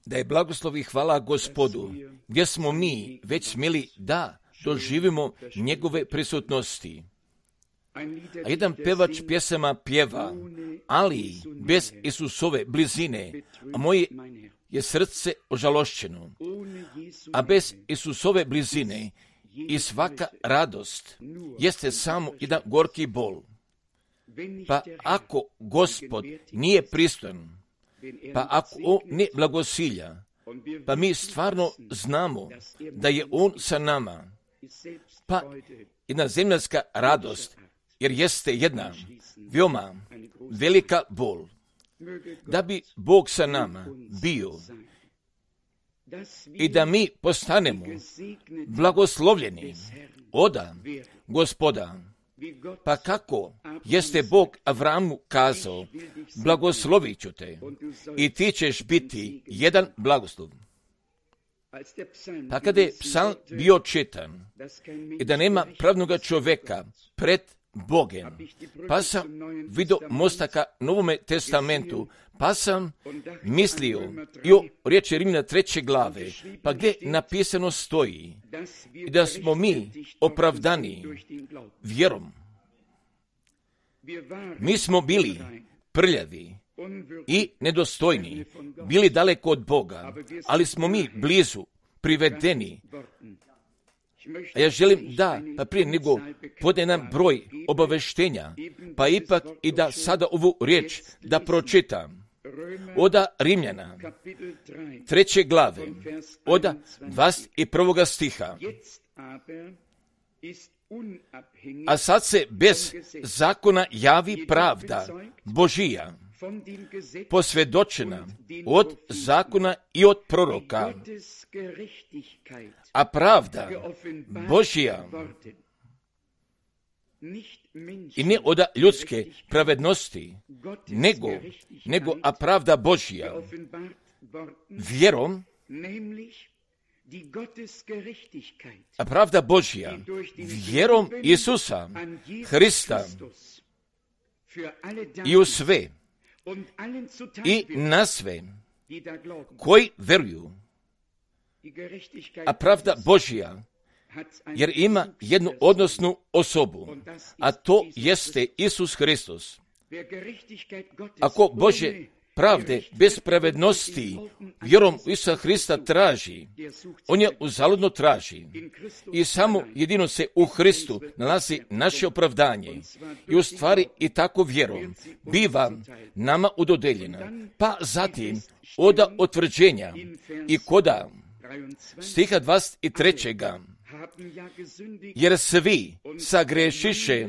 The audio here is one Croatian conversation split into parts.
Da je blagoslov i hvala Gospodu, gdje smo mi već smjeli da doživimo njegove prisutnosti. A jedan pevač pjesama pjeva, ali bez Isusove blizine, a moje je srce ožalošćeno. A bez Isusove blizine i svaka radost jeste samo jedan gorki bol. Pa ako Gospod nije pristojan, pa ako On ne blagosilja, pa mi stvarno znamo da je On sa nama, pa jedna zemljanska radost, jer jeste jedna veoma velika bol. Da bi Bog sa nama bio i da mi postanemo blagoslovljeni oda Gospoda. Pa kako jeste Bog Avramu kazao, blagoslovit ću te i ti ćeš biti jedan blagoslov. Pa kada je psalm bio čitan i da nema pravnoga čovjeka pred Bogem, pa sam vidio mostaka Novome testamentu, pa sam mislio i o riječi Rimljana 3. glave, pa gdje napisano stoji da smo mi opravdani vjerom. Mi smo bili prljavi i nedostojni, bili daleko od Boga, ali smo mi blizu, privedeni. A ja želim da, pa prije nego podne nam broj obaveštenja, pa ipak i da sada ovu riječ da pročitam. Oda Rimljana, 3. glave, oda 21. stiha. A sad se bez zakona javi pravda Božija, posvjedočena od zakona i od proroka, a pravda Božija i ne od ljudske pravednosti, nego a pravda Božija vjerom, a pravda Božja vjerom Isusa Hrista i u sve i na sve koji vjeruju. A pravda Božja jer ima jednu odnosnu osobu, a to jeste Isus Hristos. Ako Bože pravde bez pravednosti vjerom Isusa Hrista traži, on je uzaludno traži. I samo jedino se u Hristu nalazi naše opravdanje. I u stvari i tako vjerom biva nama udodeljena. Pa zatim oda otvrđenja i koda stiha 23. Jer svi sagrešiše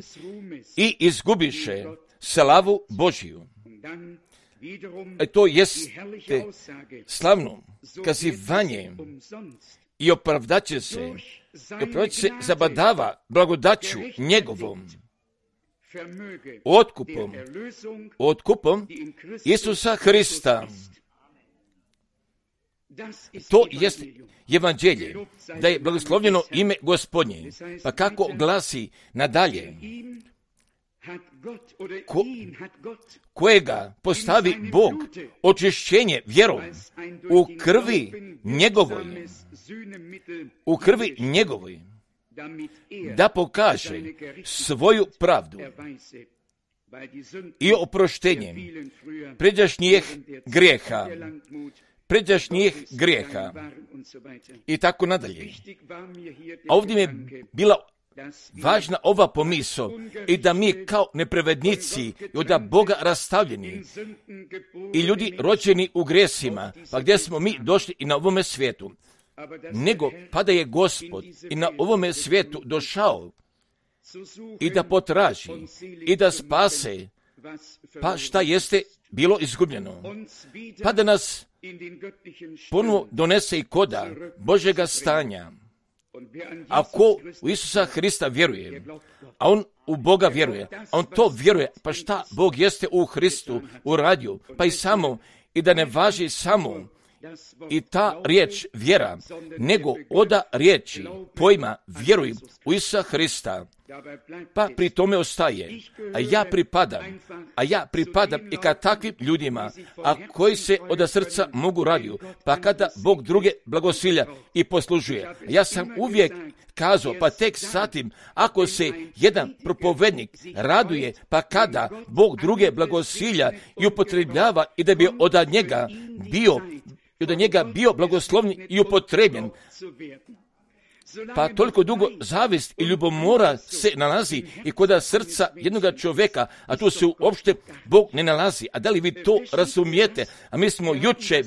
i izgubiše slavu Božiju. To jeste slavno kazivanje i opravdat će se zabadava blagodaću njegovom otkupom Isusa Hrista. To jest evanđelje, da je blagoslovljeno ime Gospodnje. Pa kako glasi nadalje, kojega postavi Bog očišćenje vjerom u krvi njegovoj, da pokaže svoju pravdu i oproštenjem pređašnjih grijeha i tako nadalje. A ovdje mi je bila važna ova pomisao i da mi kao nepravednici i od Boga rastavljeni i ljudi rođeni u grijesima, pa gdje smo mi došli i na ovome svijetu, nego pa da je Gospod i na ovome svijetu došao i da potraži i da spase, pa šta jeste bilo izgubljeno, pa da nas ponovo donese i koda Božjega stanja. Ako u Isusa Hrista vjeruje, a on u Boga vjeruje, a on to vjeruje, pa šta Bog jeste u Hristu uradio, pa i samo, i da ne važi samo i ta riječ vjera, nego oda riječi pojma vjeruj u Isusa Hrista, pa pri tome ostaje. A ja pripadam i ka takvim ljudima, a koji se od srca mogu raditi, pa kada Bog druge blagosilja i poslužuje. Ja sam uvijek kazao, pa tek satim, ako se jedan propovednik raduje, pa kada Bog druge blagosilja i upotrebljava i da bi od njega bio blagoslovni i upotrebljen, pa toliko dugo zavist i ljubomora se nalazi i kod srca jednoga čovjeka, a tu se uopšte Bog ne nalazi. A da li vi to razumijete? A mi smo juče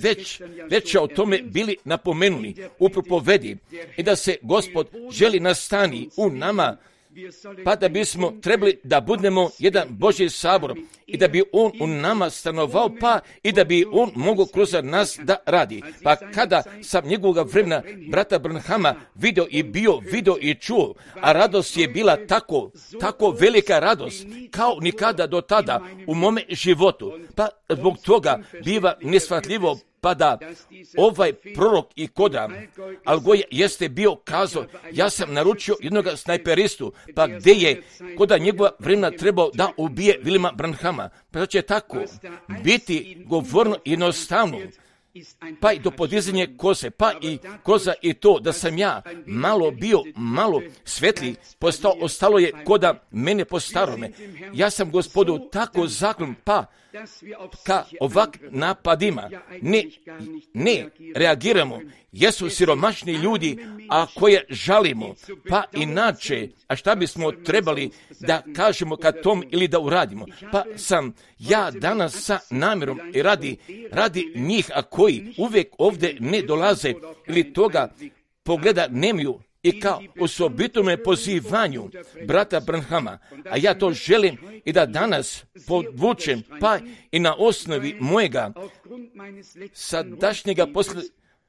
već o tome bili napomenuli u propovedi i da se Gospod želi nastani u nama, pa da bismo trebali da budemo jedan Božji sabor i da bi On u nama stanovao, pa i da bi On mogao kroz nas da radi. Pa kada sam njegovog vremena brata Branhama vidio i čuo, a radost je bila tako velika radost, kao nikada do tada u mome životu, pa zbog toga biva neshvatljivo, pa da ovaj prorok i koda Algoja jeste bio kazao, ja sam naručio jednog snajperistu, pa gdje je koda njegova vremena trebao da ubije Vilima Branhama. Pa da će tako biti govorno jednostavno, pa i do podizanja koze, pa i koza i to da sam ja malo svetli postao, ostalo je koda mene po starome. Ja sam Gospodu tako zaklon, pa ka ovak napadima ne reagiramo. Jesu siromašni ljudi, a koje žalimo, pa inače, a šta bismo trebali da kažemo ka tom ili da uradimo? Pa sam ja danas sa namjerom i radi njih, a koji uvijek ovdje ne dolaze ili toga pogleda nemaju, i kao osobitome pozivanju brata Branhama, a ja to želim i da danas podvučem, pa i na osnovi mojega sadašnjega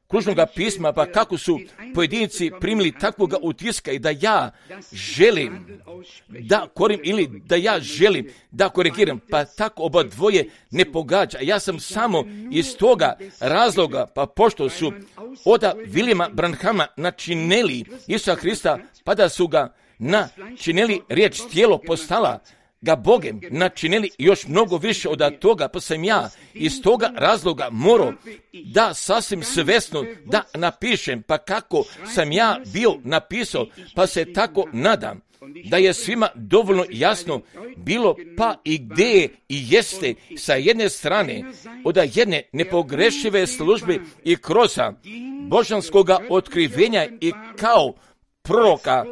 kružnoga pisma, pa kako su pojedinci primili takvoga utiska i da ja želim da korim ili da ja želim da korigiram, pa tako oba dvoje ne pogađa. Ja sam samo iz toga razloga, pa pošto su od Vilima Branhama načinili Isusa Hrista, pa da su ga načinili riječ tijelo postala ga Bogem, načinili još mnogo više od toga, pa sam ja iz toga razloga morao da sasvim svesno da napišem, pa kako sam ja bio napisao, pa se tako nadam da je svima dovoljno jasno bilo, pa i gdje je i jeste sa jedne strane od jedne nepogrešive službe i kroz božanskoga otkrivenja i kao proroka,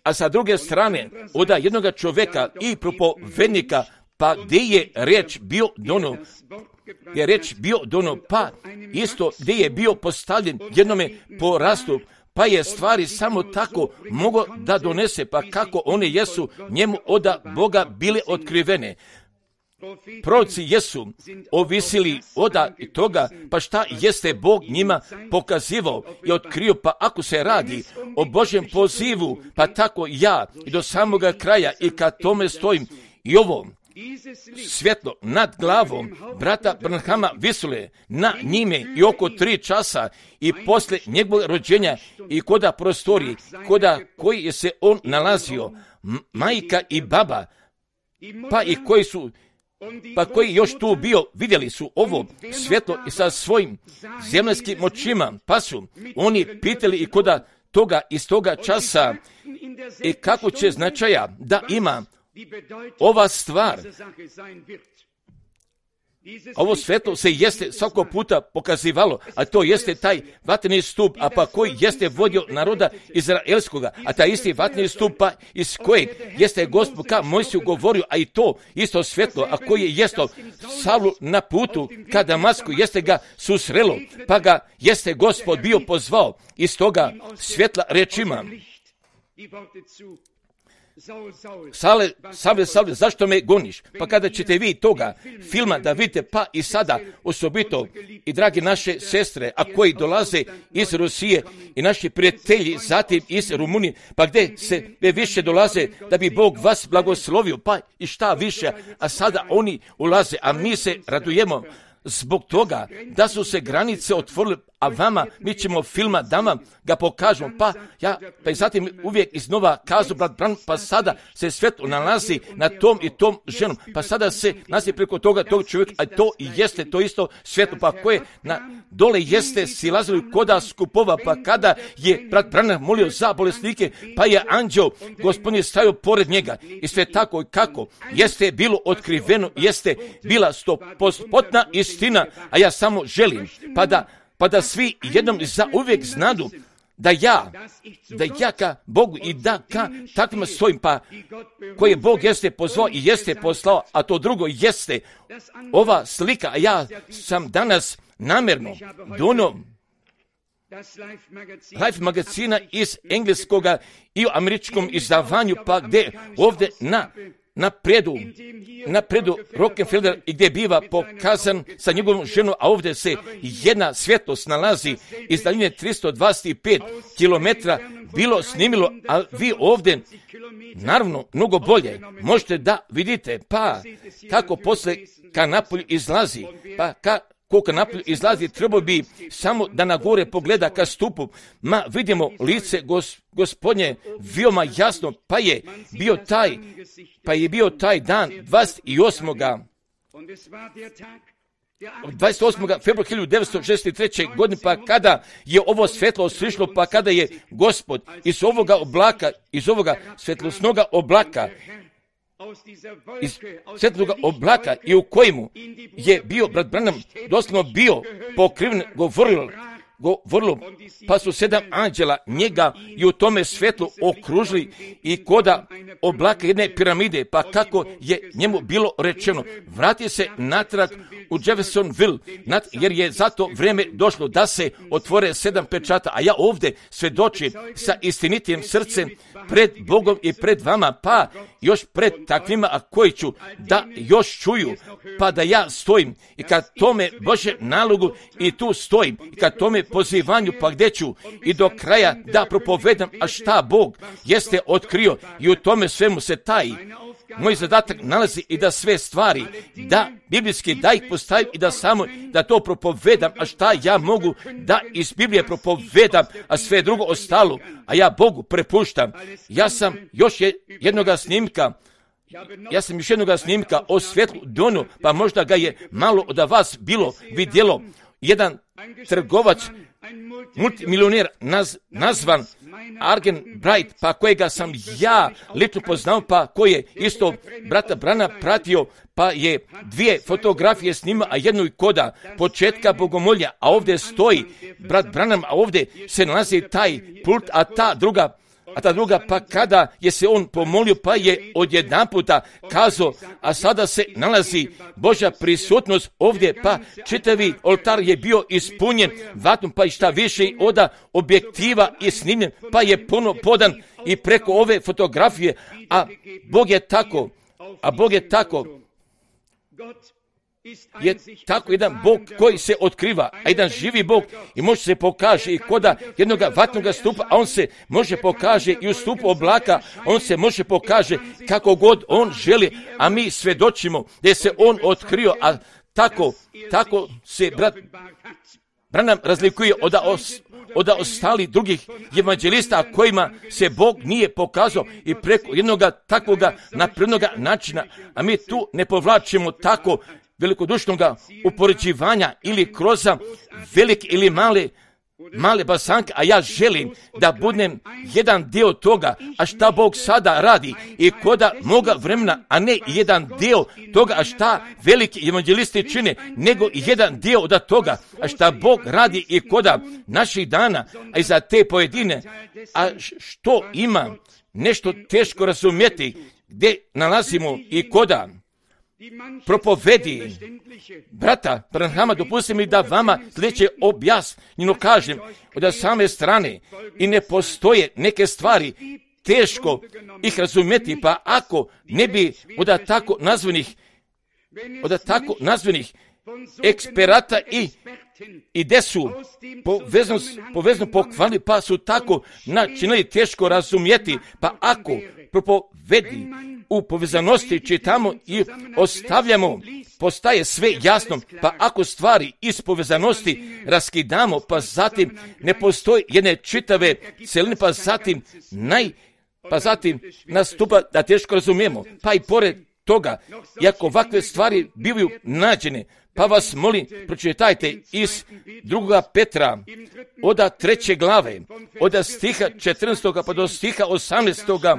a sa druge strane od jednog čovjeka i propovednika, pa gdje je riječ bio dono, pa isto gdje je bio postavljen jednome porastu, pa je stvari samo tako mogo da donese, pa kako one jesu njemu od Boga bile otkrivene. Proroci jesu ovisili od toga, pa šta jeste Bog njima pokazivao i otkrio, pa ako se radi o Božjem pozivu, pa tako ja i do samoga kraja i kad tome stojim i ovo svjetlo nad glavom brata Branhama visule na njime i oko 3 časa i posle njegovog rođenja i koda prostoriji, koda koji je se on nalazio, majka i baba, pa i koji još tu bio, vidjeli su ovo svjetlo i sa svojim zemaljskim očima, pa su oni pitali i koda toga iz toga časa i kako će značaja da ima ova stvar. Ovo svjetlo se jeste svakog puta pokazivalo, a to jeste taj vatreni stup, a pa koji jeste vodio naroda izraelskoga, a taj isti vatreni stup, pa iz kojeg jeste Gospod ka Mojsiju govorio, a i to isto svjetlo, a koji je jesto Savlu na putu ka Damasku, jeste ga susrelo, pa ga jeste Gospod bio pozvao iz toga svjetla rečima: Savle, zašto me goniš? Pa kada ćete vi toga filma da vidite, pa i sada osobito i dragi naše sestre, a koji dolaze iz Rusije i naši prijatelji zatim iz Rumunije, pa gdje se više dolaze da bi Bog vas blagoslovio, pa i šta više, a sada oni ulaze, a mi se radujemo zbog toga da su se granice otvorile, a vama, mi ćemo filma da vam ga pokažemo, pa i zatim uvijek iznova kazu, brat Branham, pa sada se svetlo nalazi na tom i tom ženom, pa sada se nalazi preko toga tog čovjeka, a to i jeste to isto svetlo, pa koje dole jeste silazili koda skupova, pa kada je brat Branham molio za bolesnike, pa je anđeo Gospodin stavio pored njega i sve tako i kako jeste bilo otkriveno, jeste bila 100% istina, a ja samo želim, pa da svi jednom za uvijek znadu da ja ka Bogu i da ka takvima stojim, pa koje Bog jeste pozvao i jeste poslao, a to drugo jeste ova slika, a ja sam danas namjerno donio Life magazina iz engleskoga i u američkom izdavanju, pa gdje ovdje na predu Rockefeller i gdje biva pokazan sa njegovom ženom, a ovdje se jedna svjetlost nalazi iz daljine 325 km bilo snimilo, a vi ovdje naravno mnogo bolje možete da vidite, pa kako posle ka napolju izlazi, pa koliko napolju izlazi, trebao bi samo da na gore pogleda ka stupu, vidimo lice Gospodnje veoma jasno, pa je bio taj dan 28. februara 1963. godine, pa kada je ovo svetlo osvišlo, pa kada je Gospod iz ovoga svetlosnoga oblaka i u kojemu je bio brat Branham doslovno bio pokriven, govorilo, pa su 7 anđela njega i u tome svetlu okružili i koda oblaka jedne piramide, pa kako je njemu bilo rečeno, vrati se natrag u Jeffersonville, jer je za to vrijeme došlo da se otvore 7 pečata, a ja ovdje svedočim sa istinitijim srcem pred Bogom i pred vama, pa još pred takvima, a koji ću da još čuju, pa da ja stojim i kad tome Bože nalogu i tu stojim i kad tome pozivanju, pa gdje ću i do kraja da propovedam, a šta Bog jeste otkrio i u tome svemu se taji. Moj zadatak nalazi i da sve stvari, da biblijski, da ih postavim i da samo da to propovedam, a šta ja mogu da iz Biblije propovedam, a sve drugo ostalo, a ja Bogu prepuštam. Ja sam još jednoga snimka o svjetlu donu, pa možda ga je malo od vas bilo vidjelo. Jedan trgovac, multimilioner nazvan Argen Bright, pa kojega sam ja lično poznao, pa koji je isto brata Brana pratio, pa je 2 fotografije snima, a jednu i koda početka bogomolja, a ovdje stoji brat Branham, a ovdje se nalazi taj pult, a ta druga, pa kada je se on pomolio, pa je odjedanputa kazao, a sada se nalazi Božja prisutnost ovdje, pa čitavi oltar je bio ispunjen vatrom, pa i šta više od objektiva je snimljen, pa je puno podan i preko ove fotografije, a Bog je tako je tako jedan Bog koji se otkriva, a jedan živi Bog i može se pokaže i koda jednog vatnog stupa, a on se može pokaže i u stupu oblaka, on se može pokaže kako god on želi, a mi svedočimo da se on otkrio, a tako se brat Branham razlikuje od ostali drugih evanđelista kojima se Bog nije pokazao i preko jednog takvoga naprednoga načina, a mi tu ne povlačimo tako velikodušnog upoređivanja ili kroz velike ili male basanke, a ja želim da budem jedan dio toga, a šta Bog sada radi i koda moga vremena, a ne jedan dio toga, a šta veliki evanđelisti čine, nego jedan dio od toga, a šta Bog radi i koda naših dana, a i za te pojedine, a što ima nešto teško razumjeti, gdje nalazimo i koda propovedi brata Branhama, dopustite mi da vama sljedeće objasnjeno kažem od same strane i ne postoje neke stvari teško ih razumjeti, pa ako ne bi od tako nazvanih eksperata i gdje su povezano pokvarili, pa su tako načinili teško razumjeti, pa ako propovedi u povezanosti čitamo i ostavljamo postaje sve jasno, pa ako stvari iz povezanosti raskidamo, pa zatim ne postoji jedne čitave celine, pa zatim nastupa da teško razumijemo, pa i pored toga, iako ovakve stvari bivaju nađene, pa vas molim, pročitajte iz 2. Petra, od 3. glave, od stiha 14. pa do stiha 18.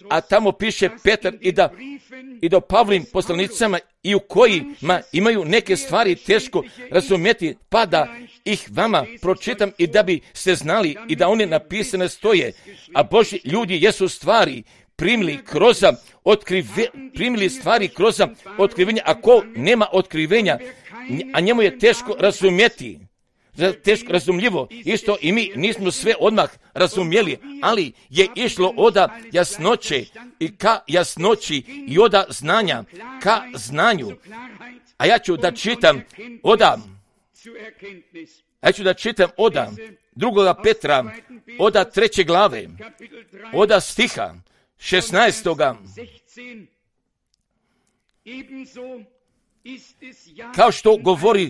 A tamo piše Petar i do Pavlovim poslanicama i u kojima imaju neke stvari teško razumjeti, pa da ih vama pročitam i da bi ste znali i da one napisane stoje, a Božji ljudi jesu stvari primili stvari kroz otkrivenje, a ko nema otkrivenja, a njemu je teško razumjeti, teško razumljivo, isto i mi nismo sve odmah razumjeli, ali je išlo od jasnoće i ka jasnoći i od znanja ka znanju. A ja ću da čitam od 2. Petra, od 3. glave, od stiha 16. Kao što govori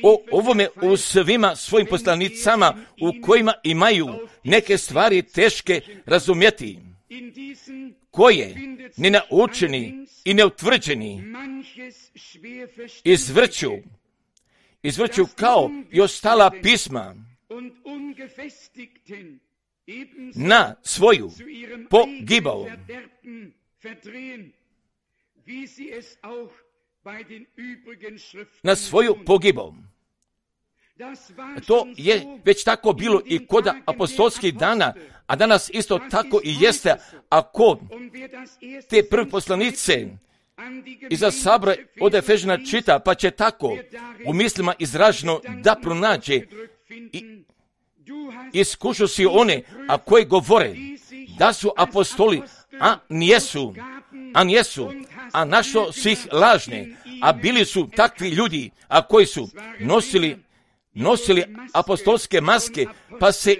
o ovome u svima svojim poslanicama u kojima imaju neke stvari teške razumjeti, koje nenaučeni i neutvrđeni izvrću kao i ostala pisma na svoju pogibao. Na svoju pogibao. To je već tako bilo i kod apostolskih dana, a danas isto tako i jeste, a kod te prve poslanice iza sabora od Efežana čita, pa će tako u mislima izraženo da pronađe i iskušu si one, a koji govore da su apostoli, a našo si ih lažne, a bili su takvi ljudi, a koji su nosili apostolske maske, pa se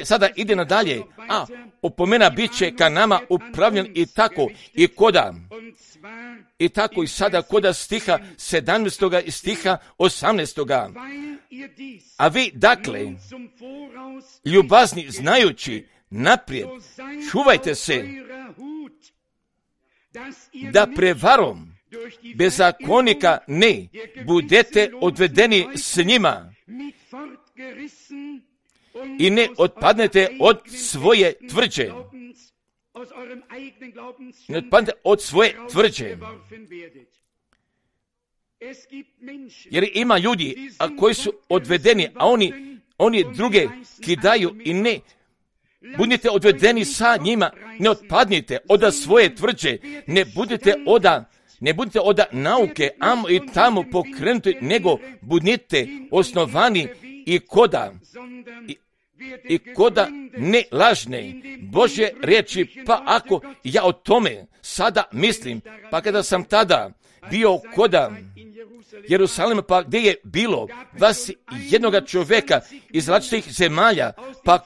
sada ide nadalje, a opomena bit će ka nama upravljen i tako i sada koda stiha 17. i stiha 18. A vi, dakle, ljubazni znajući naprijed, čuvajte se da prevarom bezakonika ne budete odvedeni s njima i ne otpadnete od svoje tvrđe. Ne otpadnete od svoje tvrđe. Jer ima ljudi koji su odvedeni, a oni druge kidaju i ne budite odvedeni sa njima, ne otpadnite od svoje tvrđe, ne budite od nauke amo i tamo pokrenuti, nego budite osnovani i koda ne lažne Božje riječi. Pa ako ja o tome sada mislim, pa kada sam tada bio koda Jerusalima, pa gdje je bilo 21 čovjeka iz različitih zemalja, pa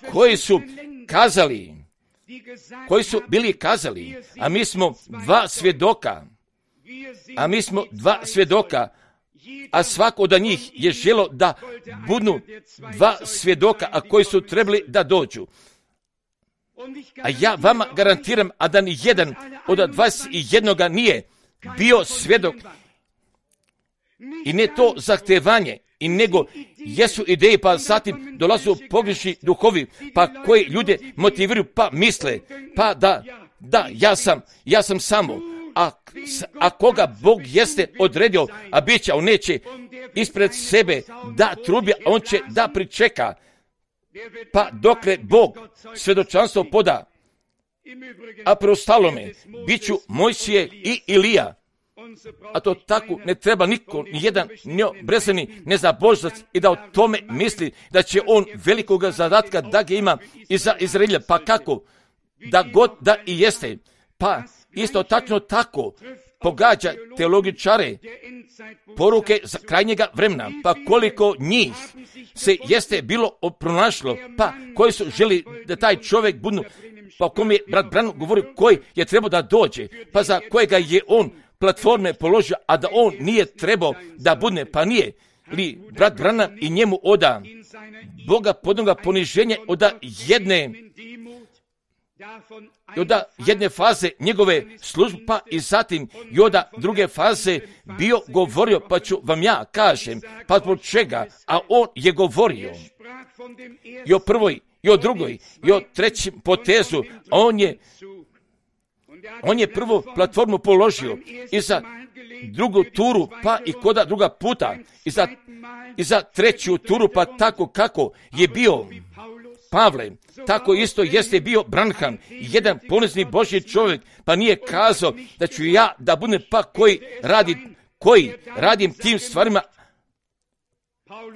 koji su bili kazali, a mi smo dva svjedoka, a svako od njih je želo da budu dva svjedoka, a koji su trebali da dođu. A ja vama garantiram, a da ni jedan od 21 nije bio svjedok, i ne to zahtevanje, i nego jesu ideje, pa zatim dolazu pogrešni duhovi, pa koji ljude motiviraju, pa misle, pa da, ja sam samo, a koga Bog jeste odredio, a bit će, on neće ispred sebe da trubi, on će da pričeka, pa dokle Bog svjedočanstvo poda, a preostalome bit ću Mojsije i Ilija. A to tako ne treba niko, nijedan neobrezani nezabožac i da o tome misli da će on velikoga zadatka da ga ima i za Izraelja. Pa kako? Da god da i jeste. Pa isto tačno tako pogađa teologičare poruke za krajnjega vremena. Pa koliko njih se jeste bilo pronašlo, pa koji su želi da taj čovjek budu, pa o kom je brat Branham govori koji je trebao da dođe, pa za kojega je on platforme položio, a da on nije trebao da bude, pa nije li brat Branham i njemu oda Boga podnoga poniženje oda jedne faze njegove službe, pa i zatim i od druge faze bio govorio, pa ću vam ja kažem, pa zbog čega, a on je govorio i o prvoj, i o drugoj, i o trećem potezu, a on je prvu platformu položio i za drugu turu, pa i koda druga puta, i za treću turu, pa tako kako je bio Pavle, tako isto jeste bio Branham, jedan ponizni Božji čovjek, pa nije kazao da ću ja da budem pa koji radim tim stvarima.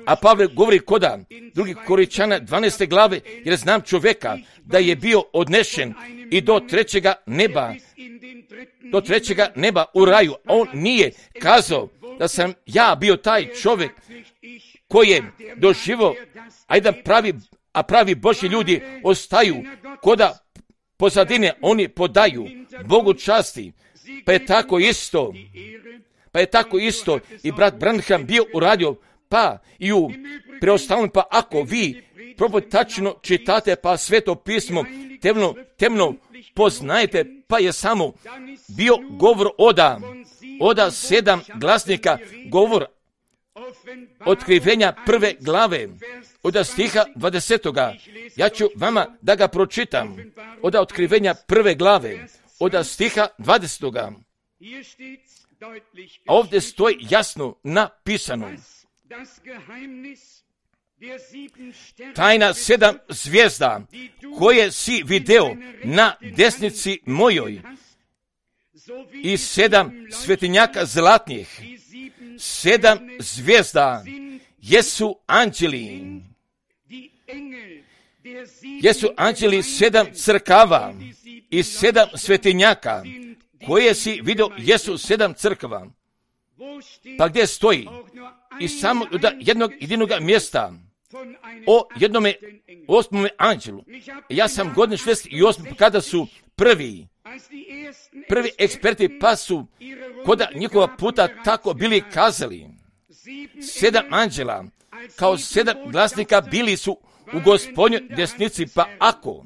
A Pavle govori koda drugih Korinčana 12. glave, jer znam čovjeka da je bio odnešen i do trećega neba u raju. On nije kazao da sam ja bio taj čovjek koji je doživio, a pravi Božji ljudi ostaju koda pozadine, oni podaju Bogu časti, pa je tako isto i brat Branham bio uradio, pa i u preostalom, pa ako vi tačno čitate, pa Sveto pismo temno poznajete, pa je samo bio govor oda 7 glasnika, govor Otkrivenja 1. glave, od stiha 20. Ja ću vama da ga pročitam, od Otkrivenja 1. glave, od stiha 20. A ovdje stoji jasno napisano: tajna 7 zvijezda koje si video na desnici mojoj i 7 svetinjaka zlatnih. 7 zvijezda jesu anđeli 7 crkava i 7 svetinjaka koje si vidio jesu 7 crkava. Pa gdje stoji? I samo od jednog jedinog mjesta o jednome 8. anđelu. Ja sam godine 68. kada su prvi eksperti, pa su koda njihova puta tako bili kazali. 7 anđela kao 7 glasnika bili su u Gospodnjoj desnici, pa ako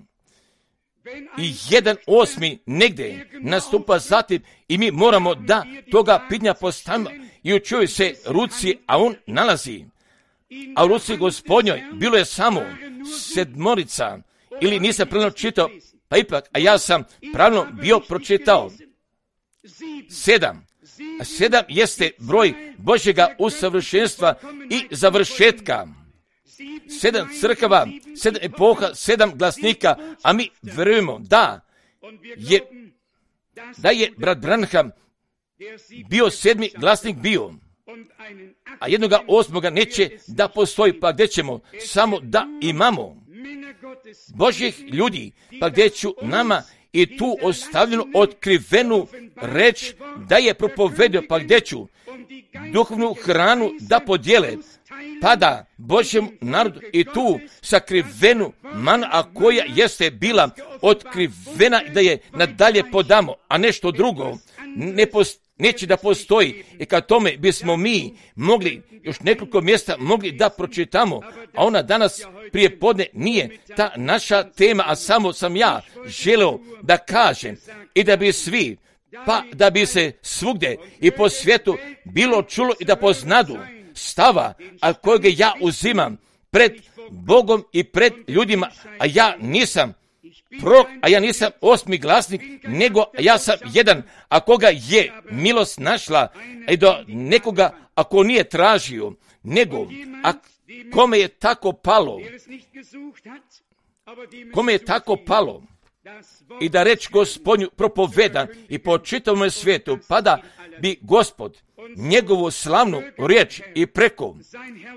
i 1/8 negdje nastupa zatim i mi moramo da toga pitanja postavimo i učuju se ruci, a on nalazi. A u ruci Gospodnjoj bilo je samo 7, ili nisam pravilno čitao, pa ipak, a ja sam pravilno bio pročitao 7. 7 jeste broj Božjega usavršenstva i završetka. 7 crkava, 7 epoha, 7 glasnika, a mi vjerujemo da je brat Branham bio 7. glasnik bio, a 1/8 neće da postoji, pa gdje ćemo samo da imamo Božjih ljudi, pa gdje ću nama i tu ostavljenu otkrivenu reč da je propovedio, pa gdje ću duhovnu hranu da podijele, pa da Božjem narodu i tu sakrivenu manu, a koja jeste bila otkrivena, da je nadalje podamo, a nešto drugo neće da postoji. I kad tome bismo mi mogli još nekoliko mjesta mogli da pročitamo, a ona danas prije podne nije ta naša tema, a samo sam ja želeo da kažem i da bi svi, pa da bi se svugdje i po svijetu bilo čulo i da poznadu stava, a kojeg ja uzimam pred Bogom i pred ljudima, a ja nisam prorok, a ja nisam 8. glasnik, nego ja sam jedan, a koga je milost našla, i do nekoga ako nije tražio, nego a kome je tako palo, i da reč Gospodnju propovedan i po čitavom svijetu, pa da bi Gospod njegovu slavnu riječ i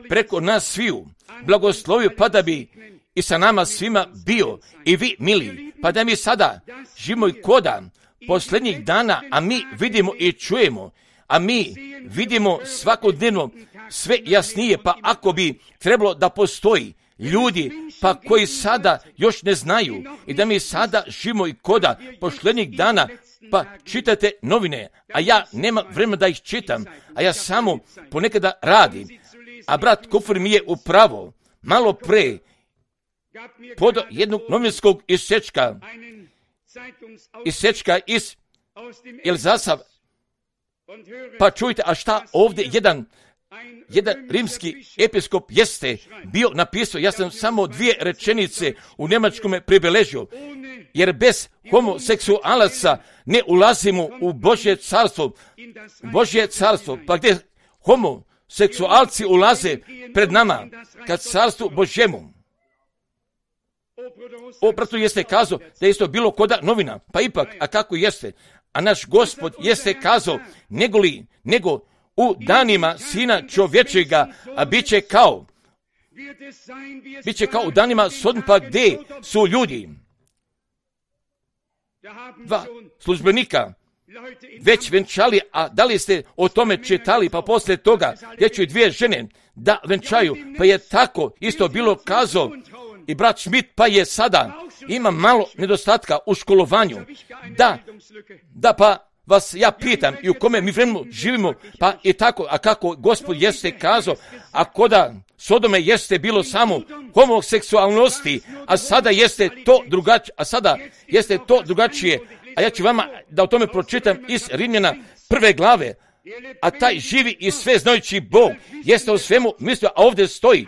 preko nas sviju blagoslovio, pa da bi i sa nama svima bio i vi mili, pa da mi sada živimo i koda posljednjih dana, a mi vidimo i čujemo, a mi vidimo svakodnevno sve jasnije, pa ako bi trebalo da postoji ljudi pa koji sada još ne znaju i da mi sada živimo i koda posljednjih dana, pa čitate novine, a ja nemam vremena da ih čitam, a ja samo ponekada radim. A brat Kufr mi je upravo malo pre podao jednog novinskog isečka iz Elzasa, pa čujte, a šta ovdje jedan rimski episkop jeste bio napisao, ja sam samo 2 rečenice u njemačkome pribeležio, jer bez homoseksualaca ne ulazimo u Božje carstvo, pa gdje homoseksualci ulaze pred nama, kad carstvu Božjemu. Opratu jeste kazao da je isto bilo koda novina, pa ipak, a kako jeste? A naš Gospod jeste kazao, nego u danima Sina čovječega, a bit će kao u danima Sodom, pa gdje su ljudi. 2 službenika već venčali, a da li ste o tome čitali, pa poslije toga gdje će 2 žene da venčaju, pa je tako isto bilo kazao i brat Schmidt, pa je sada ima malo nedostatka u školovanju. Da, pa vas ja pitam, i u kome mi vremenu živimo, pa i tako, a kako Gospod jeste kazao, a koda Sodome jeste bilo samo homoseksualnosti, a sada jeste to drugačije, a ja ću vama da o tome pročitam iz Rimljana 1. glave, a taj živi i sve znajući Bog jeste o svemu mislio, a ovdje stoji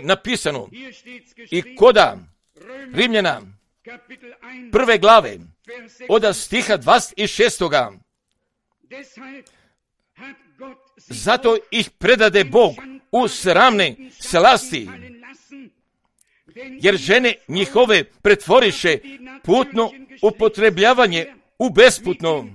napisano, i koda Rimljana 1. glave, od stiha 26. Zato ih predade Bog u sramne slasti, jer žene njihove pretvoriše putno upotrebljavanje u besputno.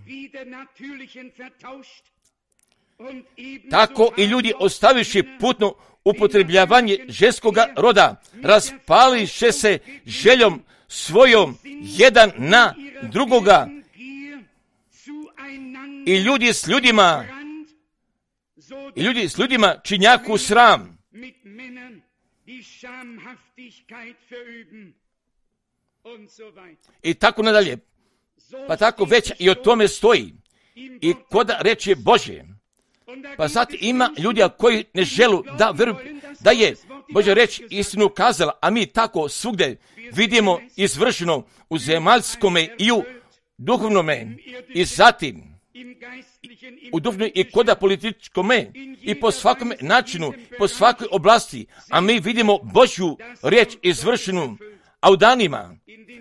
Tako i ljudi ostaviši putno upotrebljavanje ženskoga roda, raspališe se željom svojom jedan na drugoga, i ljudi s ljudima činjaku sram. I tako nadalje. Pa tako već i o tome stoji. I koda reče Božje. Pa sad ima ljudi koji ne želu da veruju da je Božja reč istinu kazala, a mi tako svugdje vidimo izvršeno u zemaljskome i u duhovnome, i zatim u duhovnoj i koda političkome, i po svakom načinu, po svakoj oblasti, a mi vidimo Božju riječ izvršenu, a u danima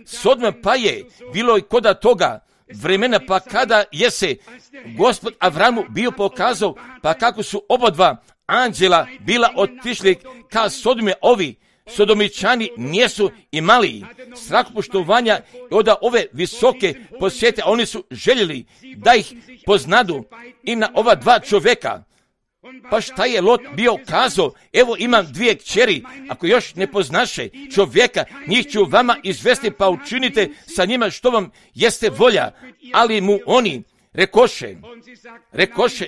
Sodoma pa je bilo i koda toga vremena, pa kada je se Gospod Avramu bio pokazao, pa kako su obadva anđela bila otišli ka Sodome, ovi Sodomičani nijesu imali strahopoštovanja od ove visoke posjete, a oni su željeli da ih poznadu i na ova 2 čovjeka. Pa šta je Lot bio kazao? Evo imam 2 kćeri, ako još ne poznaše čovjeka, njih ću vama izvesti, pa učinite sa njima što vam jeste volja. Ali mu oni rekoše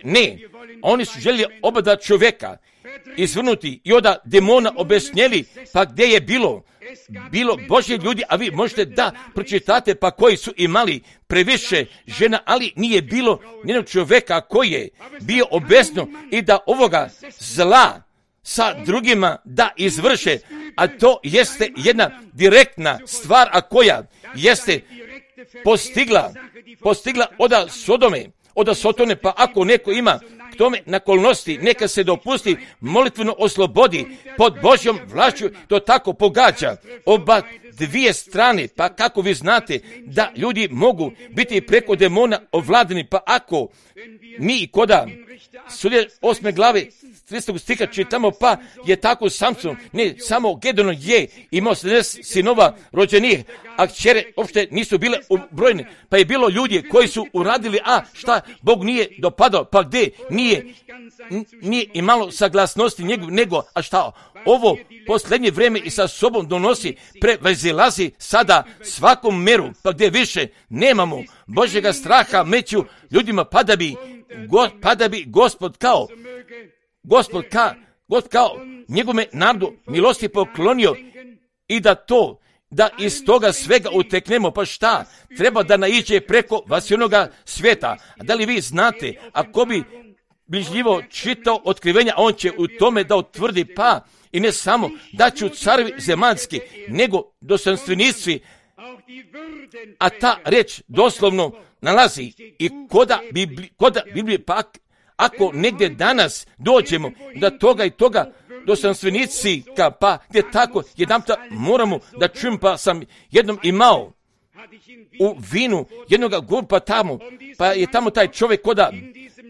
ne. Oni su željeli oba 2 čovjeka izvrnuti i od demona obesnjeli, pa gdje je bilo Božje ljudi, a vi možete da pročitate, pa koji su imali previše žena, ali nije bilo nijednog čovjeka koji je bio obesno i da ovoga zla sa drugima da izvrše, a to jeste jedna direktna stvar, a koja jeste postigla od Sodome, od Sotone, pa ako neko ima k tome naklonosti, neka se dopusti, molitveno oslobodi, pod Božjom vlašću to tako pogađa oba 2 strane, pa kako vi znate da ljudi mogu biti preko demona ovladani, pa ako mi koda Sudje 8. glave 30. stiha čitamo, pa je tako Samson, ne samo Gedeon je imao 70 sinova rođenih, a kćere uopšte nisu bile ubrojene, pa je bilo ljudi koji su uradili, a šta Bog nije dopadao, pa gdje nije imalo saglasnosti nego, a šta ovo posljednje vrijeme i sa sobom donosi, prevazilazi sada svakom meru, pa gdje više nemamo Božjega straha među ljudima, pa da bi Gospod kao njegove narodu milosti poklonio, i da to da iz toga svega uteknemo, pa šta? Treba da naiđe preko vasionoga svijeta. A da li vi znate, ako bi bližljivo čitao otkrivenja, on će u tome da utvrdi, pa i ne samo da ću carevi zemaljski, nego dostojanstvenici, a ta reč doslovno nalazi i koda Biblije, pak ako negdje danas dođemo da toga i toga dostojanstvenici, pa gdje tako jedanputa moramo da čujem, pa sam jednom imao u vinu jednoga grupa tamo, pa je tamo taj čovjek koda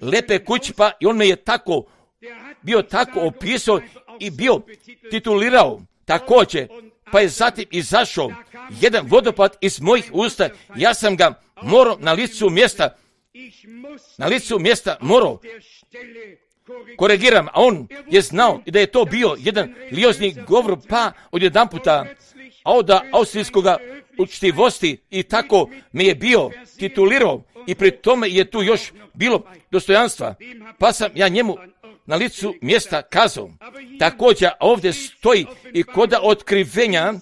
lepe kući, pa i on me je bio tako opisao i bio titulirao također, pa je zatim izašao jedan vodopad iz mojih usta, ja sam ga morao na licu mjesta morao korigiram, a on je znao da je to bio jedan liozni govor, pa odjedanputa od austrijskoga učtivosti i tako me je bio titulirao i pri tome je tu još bilo dostojanstva, pa sam ja njemu na licu mjesta kazao. Također ovdje stoji i koda otkrivenja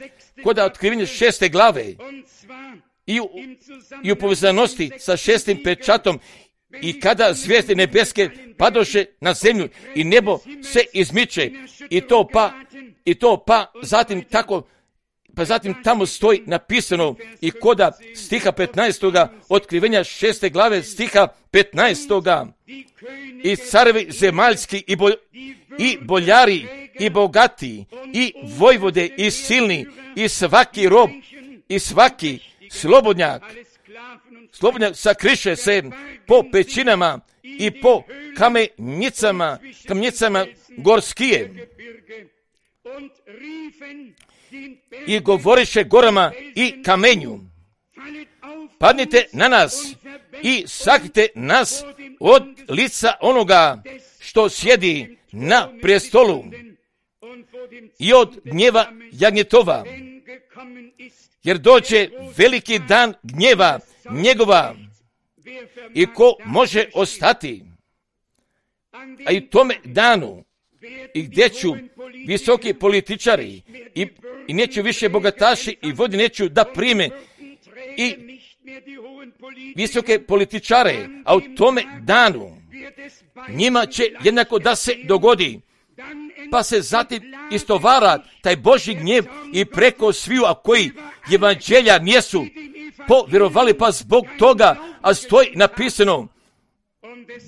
6. glave i u povezanosti sa 6. pečatom, i kada zvijezde nebeske padoše na zemlju i nebo se izmiče i to pa zatim tako, pa zatim tamo stoji napisano i koda stiha 15. otkrivenja 6. glave stiha 15. I carevi zemaljski i boljari i bogati i vojvode i silni i svaki rob i svaki slobodnjak sakriše se po pećinama i po kamnicama gorskije i govoriše gorama i kamenju, padnite na nas i sakrite nas od lica onoga što sjedi na prestolu i od gnjeva jagnjetova, jer dođe veliki dan gnjeva njegova i ko može ostati. A i tome danu i gdje ću visoki političari i neću više bogataši i vodi neću da prime i visoke političare, a u tome danu njima će jednako da se dogodi, pa se zatim istovara taj Božji gnjev i preko sviju, a koji evanđelja nijesu povjerovali, pa zbog toga, a stoji napisano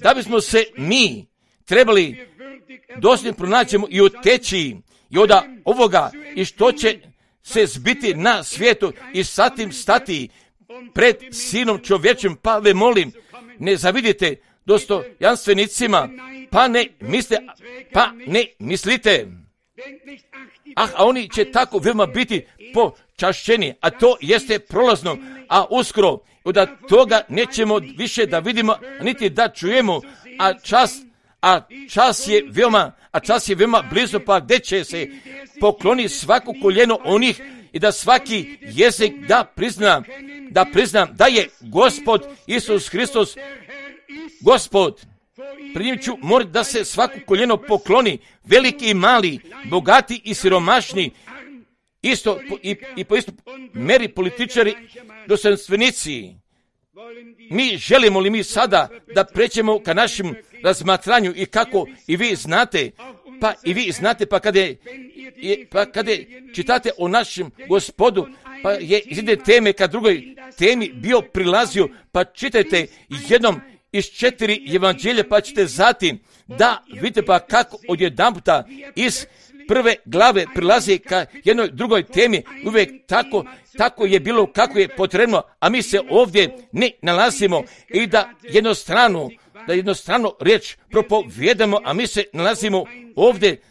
da bismo se mi trebali dosljedno pronaćemo i uteći i od ovoga i što će se zbiti na svijetu i satim stati pred Sinom čovječim, pa ve molim, ne zavidite dostojanstvenicima, pa ne mislite, a oni će tako veoma biti počašćeni, a to jeste prolazno, a uskoro od toga nećemo više da vidimo, niti da čujemo, a čas je veoma blizu, pa gdje će se pokloni svako koljeno onih i da svaki jezik da prizna da je Gospod Isus Hristos Gospod. Pred njim ću morati da se svako koljeno pokloni, veliki i mali, bogati i siromašni, isto i po isto meri političari, dostojanstvenici. Mi želimo li mi sada da pređemo ka našem razmatranju i kako i vi znate, pa kada čitate o našem Gospodu, pa je iz jedne teme ka drugoj temi bio prilazio, pa čitajte jednom iz 4 evanđelja, pa ćete zatim da vidite pa kako odjedanputa iz 1. glave prilazi ka jednoj drugoj temi, uvijek tako je bilo kako je potrebno, a mi se ovdje ne nalazimo i da jednostrano riječ propovijedamo, a mi se nalazimo ovdje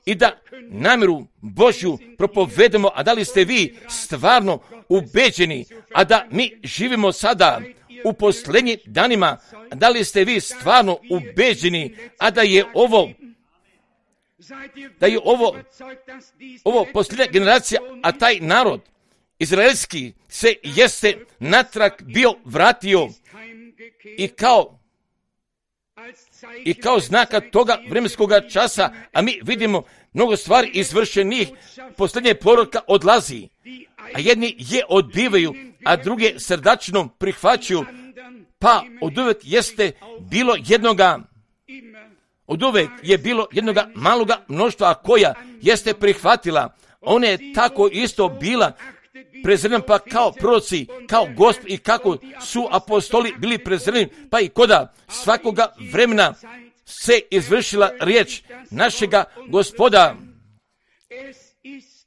i da namjeru Božju propovedemo, a da li ste vi stvarno ubeđeni, a da mi živimo sada u posljednjim danima, da li ste vi stvarno ubeđeni, a da je ovo posljednja generacija, a taj narod izraelski se jeste natrag bio vratio i kao I kao znaka toga vremenskog časa, a mi vidimo mnogo stvari izvršenih, posljednje poruka odlazi, a jedni je odbivaju, a druge srdačno prihvaćaju, pa oduvek jeste bilo oduvek je bilo jednoga maloga mnoštva koja jeste prihvatila. Ona je tako isto bila prezrena, pa kao proroci, kao Gospod i kako su apostoli bili prezreni, pa i koda svakoga vremena se izvršila riječ našega Gospoda.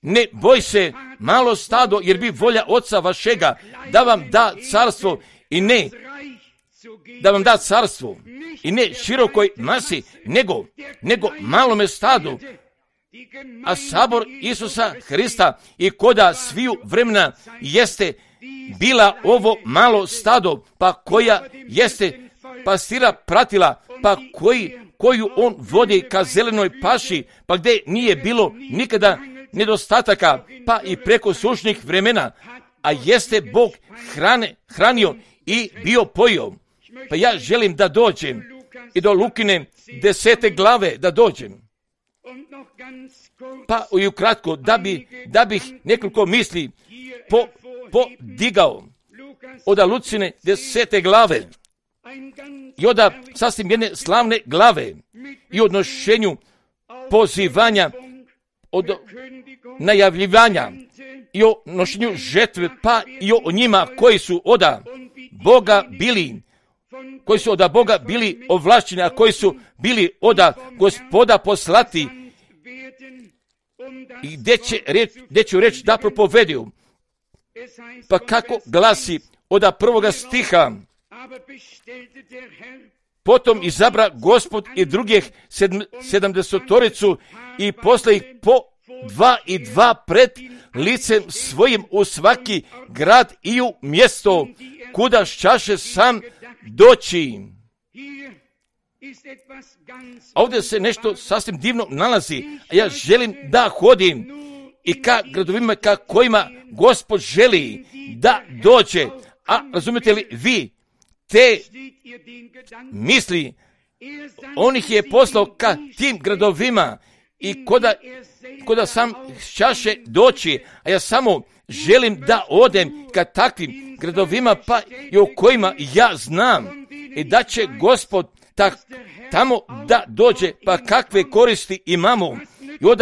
Ne boj se, malo stado, jer bi volja Oca vašega da vam da carstvo i ne da vam da carstvo i ne širokoj masi, nego malome stadu. A sabor Isusa Hrista i koda sviju vremena jeste bila ovo malo stado, pa koja jeste pastira pratila, pa koju on vodi ka zelenoj paši, pa gdje nije bilo nikada nedostataka, pa i preko sušnih vremena, a jeste Bog hranio i bio pojio. Pa ja želim da dođem i do Lukine 10. glave da dođem. Pa i ukratko, da bih nekoliko misli podigao od Lucine 10. glave i od sasvim jedne slavne glave i odnošenju pozivanja, od najavljivanja i o nošenju žetve, pa i o njima koji su od Boga bili ovlašćeni, a koji su bili od Gospoda poslati i gdje ću reći da propovediju. Pa kako glasi od 1. stiha: potom izabra Gospod i drugih 70 i posle ih po 2 i 2 pred licem svojim u svaki grad i u mjesto kuda šćaše sam doći. Ovdje se nešto sasvim divno nalazi, a ja želim da hodim i ka gradovima ka kojima Gospod želi da dođe. A razumijete li vi te misli? On ih je poslao ka tim gradovima i koda sam šćaše doći, a ja samo želim da odem ka takvim gradovima, pa i o kojima ja znam i da će Gospod tamo da dođe, pa kakve koristi imamo i od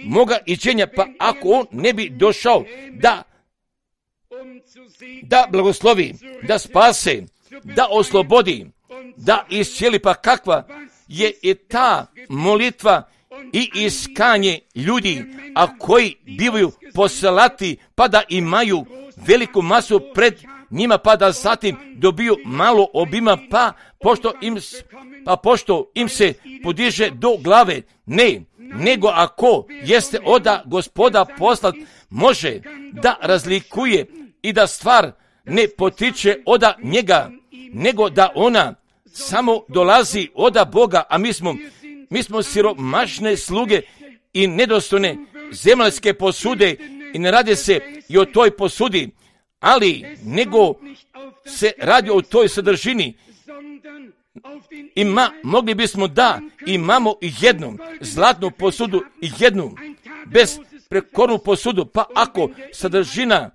moga iđenja, pa ako on ne bi došao da blagoslovi, da spase, da oslobodi, da iscijeli, pa kakva je ta molitva i iskanje ljudi, a koji bivaju poslati, pa da imaju veliku masu pred njima, pa da zatim dobiju malo obima, pa pošto im se podiže do glave. Ne, nego ako jeste od Gospoda poslat, može da razlikuje i da stvar ne potiče od njega, nego da ona samo dolazi od Boga, a mi smo siromašne sluge i nedostojne zemaljske posude i ne radi se i o toj posudi, ali nego se radi o toj sadržini. Mogli bismo da imamo i jednu zlatnu posudu i jednu besprekornu posudu, pa ako sadržina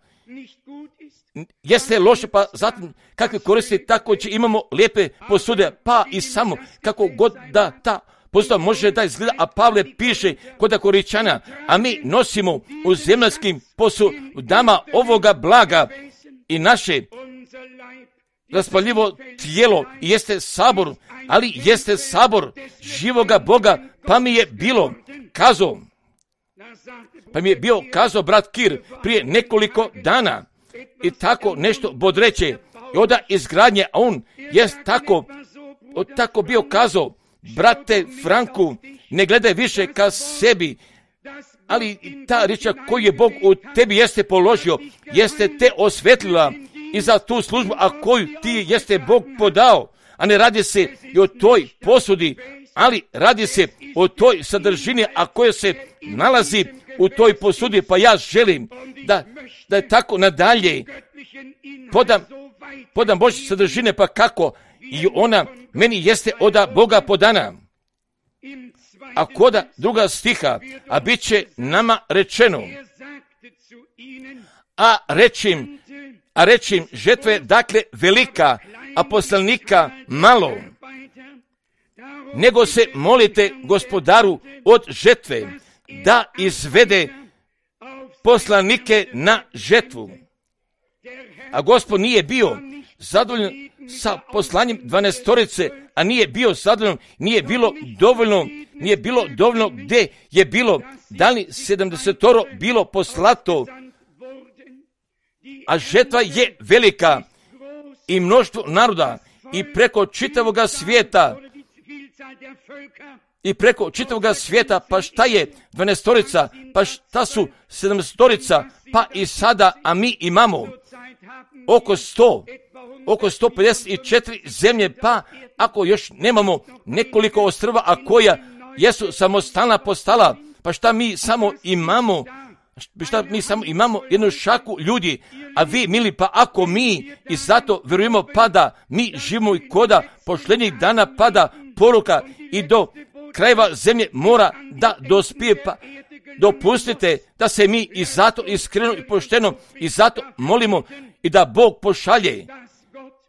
jeste loše, pa zatim kakve koristi, tako će imamo lijepe posude, pa i samo kako god da ta posuda može da izgleda, a Pavle piše kod Korinčana, a mi nosimo u zemaljskim posudama ovoga blaga i naše raspaljivo tijelo jeste sabor, ali jeste sabor živoga Boga, pa mi je bio kazao brat Kir prije nekoliko dana i tako nešto bodreće i od izgradnje, a on je tako bio kazao: brate Franku, ne gledaj više ka sebi, ali ta riječ koju je Bog u tebi jeste položio, jeste te osvetlila i za tu službu, a koju ti jeste Bog podao, a ne radi se i o toj posudi, ali radi se o toj sadržini, a koja se nalazi u toj posudi. Pa ja želim da je tako nadalje podam Božje sadržine, pa kako i ona meni jeste od Boga podana. A koda druga stiha, a bit će nama rečeno, a rečim žetve dakle velika, a poslanika malo. Nego se molite Gospodaru od žetve, da izvede poslanike na žetvu. A Gospod nije bio zadovoljan sa poslanjem 12, a nije bio zadovoljan, nije bilo dovoljno gdje je bilo, da li 70 bilo poslato, a žetva je velika i mnoštvo naroda i preko čitavoga svijeta, pa šta je 12, pa šta su 70, pa i sada, a mi imamo oko 154 zemlje, pa ako još nemamo nekoliko ostrva, a koja jesu samostalna postala, pa šta mi samo imamo jednu šaku ljudi, a vi mili, pa ako mi i zato vjerujemo, pa da mi živimo i koda pošljednjih dana pada poruka i do krajeva zemlje mora da dospije, pa dopustite da se mi i zato iskreno i pošteno i zato molimo i da Bog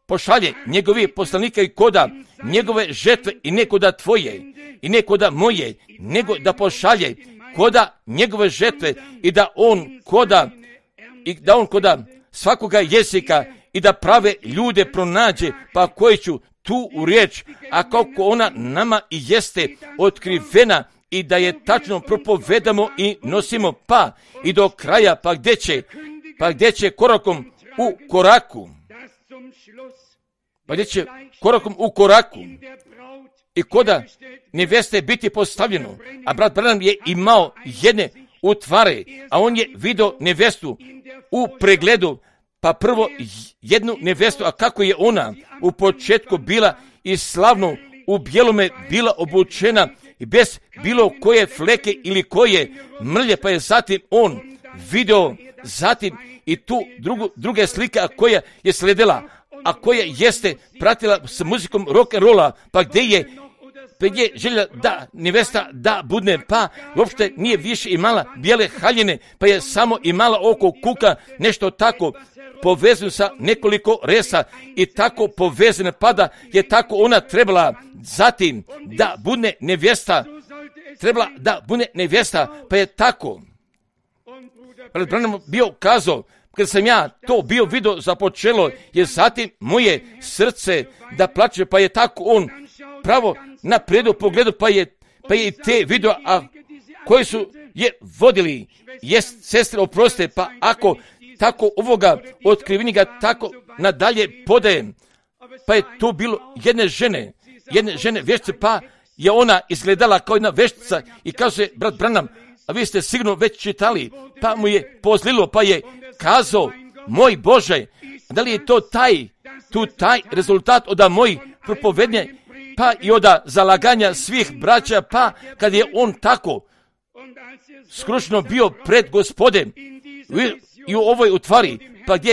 pošalje njegovi poslanike i koda njegove žetve i ne koda tvoje i ne koda moje, nego da pošalje koda njegove žetve i da on koda svakoga jezika i da prave ljude pronađe, pa koji ću tu u riječ, a kako ona nama i jeste otkrivena i da je tačno propovedamo i nosimo, pa i do kraja, pa gdje će korakom u koraku i koda neveste biti postavljeno, a brat Branham je imao jedne utvare, a on je vidio nevestu u pregledu, pa prvo jednu nevestu, a kako je ona u početku bila i slavno u bijelome bila obučena i bez bilo koje fleke ili koje mrlje, pa je zatim on vidio zatim i tu druge slike, a koja je sledila, a koja jeste pratila s muzikom rock'n'rolla, pa gdje je želja da nevesta da budne, pa uopšte nije više imala bijele haljine, pa je samo imala oko kuka nešto tako povezano sa nekoliko resa i tako povezane, pa da je tako ona trebala zatim da budne nevjesta, pa je tako. Brat Branham bio kazao, kad sam ja to bio vidio započelo, je zatim moje srce da plače, pa je tako on pravo na predu pogledu, pa je i te video, a koji su je vodili, jest sestre oproste, pa ako tako ovoga otkrivenjega tako nadalje podajem, pa je tu bilo jedne žene vještice, pa je ona izgledala kao jedna vještica i kaže brat Branham, a vi ste sigurno već čitali, pa mu je pozlilo, pa je kazao, moj Bože, da li je to taj rezultat od mojih propovednje, pa i od zalaganja svih braća, pa kad je on tako skrušno bio pred Gospodem i u ovoj utvari, pa gdje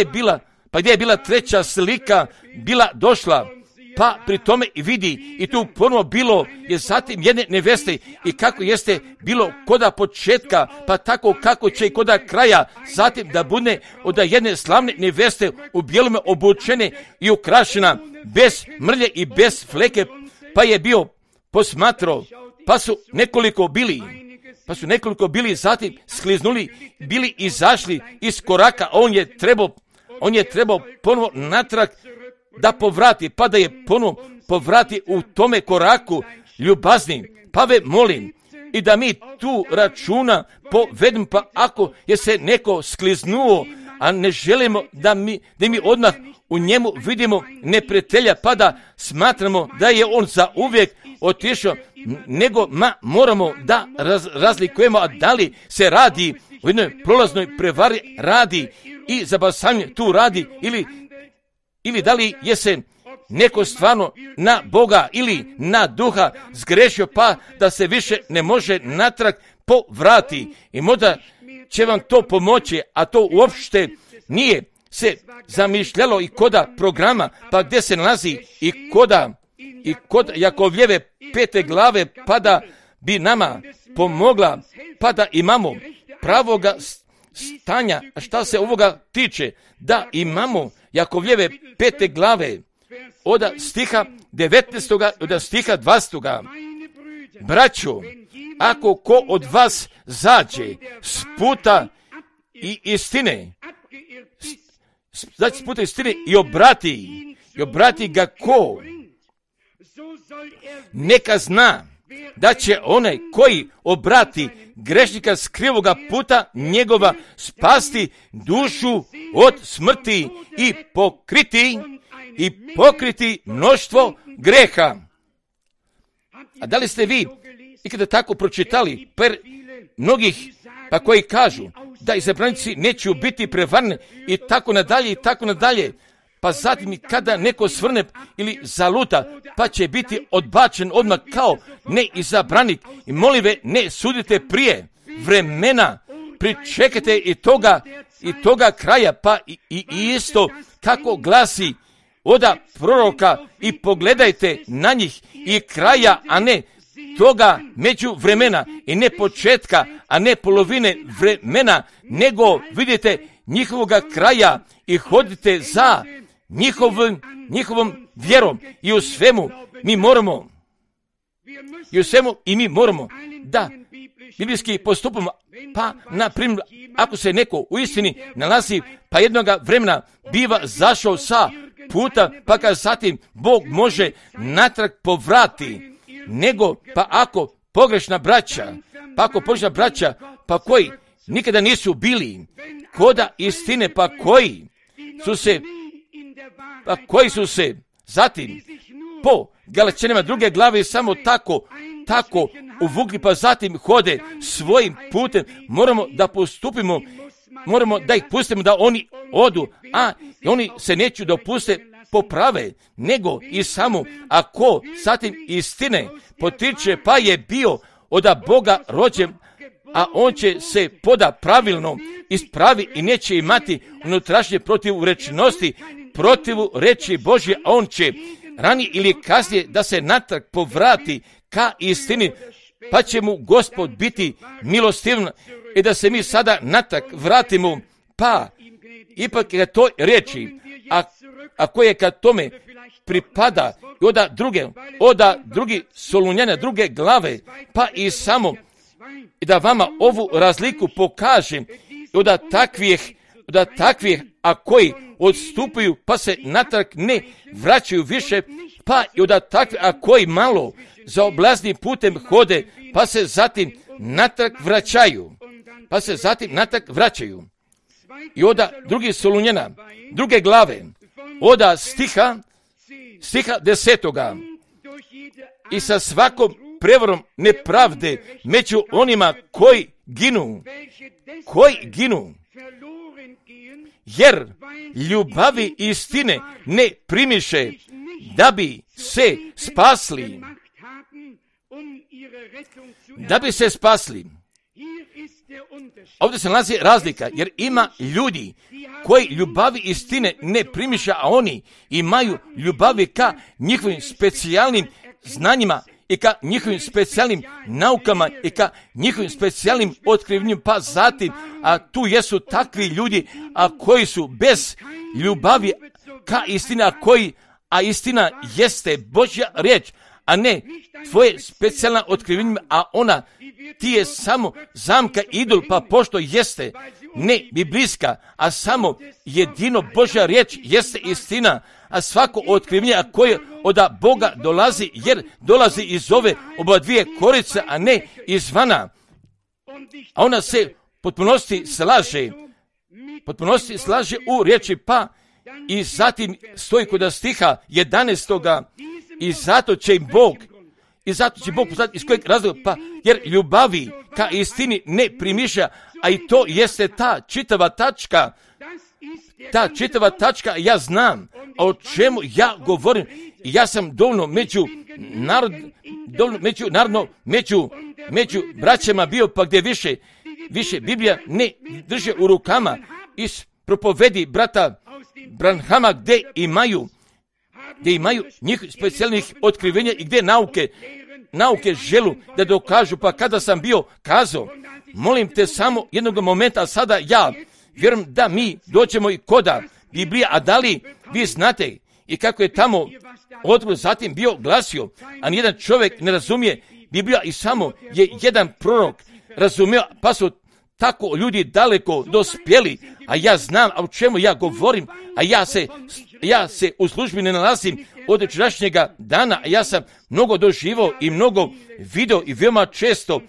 je bila treća slika bila došla, pa pri tome i vidi i tu ponovo bilo je zatim jedne neveste i kako jeste bilo koda početka, pa tako kako će i koda kraja zatim da bude od jedne slavne neveste u bijelome obučene i ukrašena bez mrlje i bez fleke, pa je bio posmatrao, pa su nekoliko bili zatim skliznuli, bili izašli iz koraka, a on je trebao ponovo natrag da povrati, pa da je ponovo povrati u tome koraku ljubazni. Pa ve molim i da mi tu računa povedemo, pa ako je se neko skliznuo, a ne želimo da mi odmah u njemu vidimo neprijatelja, pa da smatramo da je on za uvijek otišao, nego moramo da razlikujemo, a da li se radi u jednoj prolaznoj prevari radi i zabasanje tu radi ili da li je se neko stvarno na Boga ili na duha zgrešio, pa da se više ne može natrag povrati. I možda će vam to pomoći, a to uopšte nije se zamišljalo i koda programa, pa gdje se nalazi i kod Jakovljeve 5. glave, pa da bi nama pomogla, pa da imamo pravoga stanja, šta se ovoga tiče, da imamo Jakovljeve 5. glave, od stiha 19. od stiha 20. Braćo, ako ko od vas zađe s puta i istine, s puta istine i obrati ga ko, neka zna da će onaj koji obrati grešnika s krivoga puta njegova spasti dušu od smrti i pokriti mnoštvo greha. A da li ste vi ikada tako pročitali mnogih, pa koji kažu da izabranici neće biti prevarni i tako nadalje, pa zatim kada neko svrne ili zaluta, pa će biti odbačen odmah kao neizabranik. I molim ve, ne sudite prije vremena, pričekajte i toga kraja, pa i isto kako glasi oda proroka, i pogledajte na njih i kraja, a ne toga među vremena, i ne početka, a ne polovine vremena, nego vidite njihovoga kraja i hodite za njihovom vjerom. I u svemu mi moramo da biblijski postupamo. Pa, na primjer, ako se neko u istini nalazi, pa jednoga vremena biva zašao sa puta, pa ga zatim Bog može natrag povrati, nego pa ako pogrešna braća, pa koji nikada nisu bili koda istine, pa koji su se zatim po Galačanima 2. glave samo tako uvukli, pa zatim hode svojim putem. Moramo da postupimo, moramo da ih pustimo da oni odu, a oni se neću dopuste poprave, nego i samo ako zatim istine potiče, pa je bio od Boga rođen, a on će se poda pravilno ispravi i neće imati unutrašnje protivurečnosti, protiv reči Božje, a on će ranije ili kasnije da se natrag povrati ka istini, pa će mu Gospod biti milostivan i da se mi sada natrag vratimo, pa ipak je to reči, a koje kad tome pripada oda drugi Solunjana 2. glave, pa i samo i da vama ovu razliku pokažem, od takvih, a koji odstupaju, pa se natrag ne vraćaju više, pa i od takvih, a koji malo za oblaznim putem hode, pa se zatim natrag vraćaju. I od drugi Solunjana 2. glave, od stiha 10. I sa svakom prevarom nepravde među onima koji ginu, jer ljubavi istine ne primiše da bi se spasli. Ovdje se nalazi razlika, jer ima ljudi koji ljubavi istine ne primiša, a oni imaju ljubavi ka njihovim specijalnim znanjima i ka njihovim specijalnim naukama i ka njihovim specijalnim otkrivanjima, pa zatim, a tu jesu takvi ljudi, a koji su bez ljubavi ka istini, a istina jeste Božja riječ, a ne tvoje specijalna otkrivanja, a ona ti je samo zamka idol, pa pošto jeste ne biblijska, a samo jedino Božja riječ jeste istina, a svako otkrivanje koje od Boga dolazi, jer dolazi iz ove oba dvije korice, a ne izvana, a ona se potpunosti slaže u riječi, pa i zatim stoji kod stiha 11. I zato će Bog poslati iz kojeg razloga, pa jer ljubavi ka istini ne primiša, a i to jeste ta čitava tačka, ja znam o čemu ja govorim, i ja sam dovoljno među braćama bio, pa gdje više Biblija ne drže u rukama, propovedi brata Branhama gdje imaju njih specijalnih otkrivenja i gdje nauke želu da dokažu. Pa kada sam bio kazao, molim te samo jednog momenta, a sada ja vjerujem da mi doćemo i koda Biblija, a da li vi znate i kako je tamo odgovor zatim bio glasio, a nijedan čovjek ne razumije Biblija i samo je jedan prorok razumio, pa su tako ljudi daleko dospjeli, a ja znam o čemu ja govorim, a ja se u službi ne nalazim od jučerašnjega dana, a ja sam mnogo doživao i mnogo video i veoma često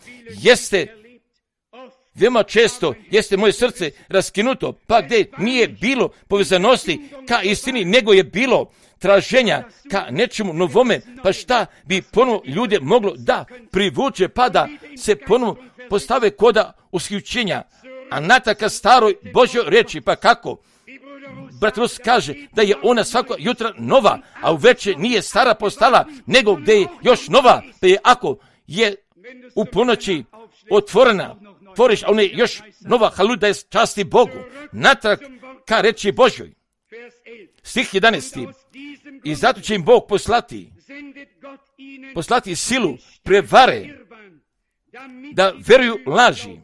jeste moje srce raskinuto, pa gdje nije bilo povezanosti ka istini, nego je bilo traženja ka nečemu novome, pa šta bi ponovo ljude moglo da privuče, pa da se ponovo postave koda usključenja, a nataka staroj Božjoj reči, pa kako? Brat Rus kaže da je ona svako jutra nova, a uveče nije stara postala, nego gdje je još nova, pa je ako je u ponoći otvorena, tvoriš, a ona je još nova, halu da je časti Bogu, natrag ka reči Božjoj. Stih 11. I zato će im Bog poslati silu prevare, da veruju laži,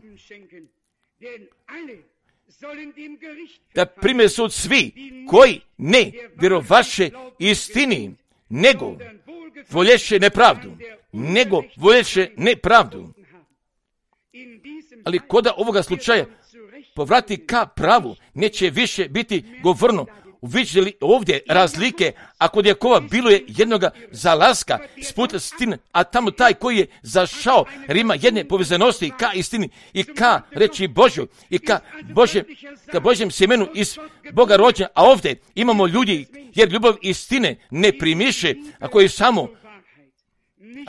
da prime sud svi koji ne vjerovaše istini, nego volješe nepravdu. Ali koda ovoga slučaja povrati ka pravu, neće više biti govorno. Uviđali ovdje razlike, a kod Jakova bilo je jednoga zalaska sput istine, a tamo taj koji je zašao rima jedne povezanosti ka istini i ka reči Božjoj i ka Božjem sjemenu iz Boga rođena, a ovdje imamo ljudi jer ljubav istine ne primiše, a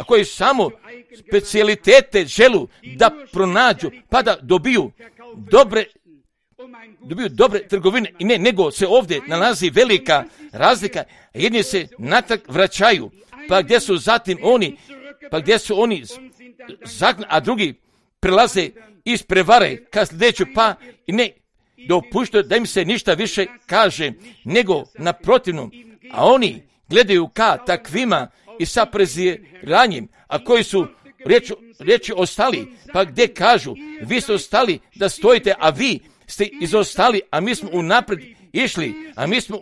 koji samo specijalitete želu da pronađu, pa da dobiju dobre trgovine i nego se ovdje nalazi velika razlika. Jedni se natrag vraćaju, pa gdje su oni a drugi prelaze iz prevare ka sljedeću, pa i ne dopuštaju da im se ništa više kaže, nego naprotivno, a oni gledaju ka takvima i sa preziranjem, a koji su riječi ostali, pa gdje kažu, vi ste ostali da stojite, a vi ste izostali, a mi smo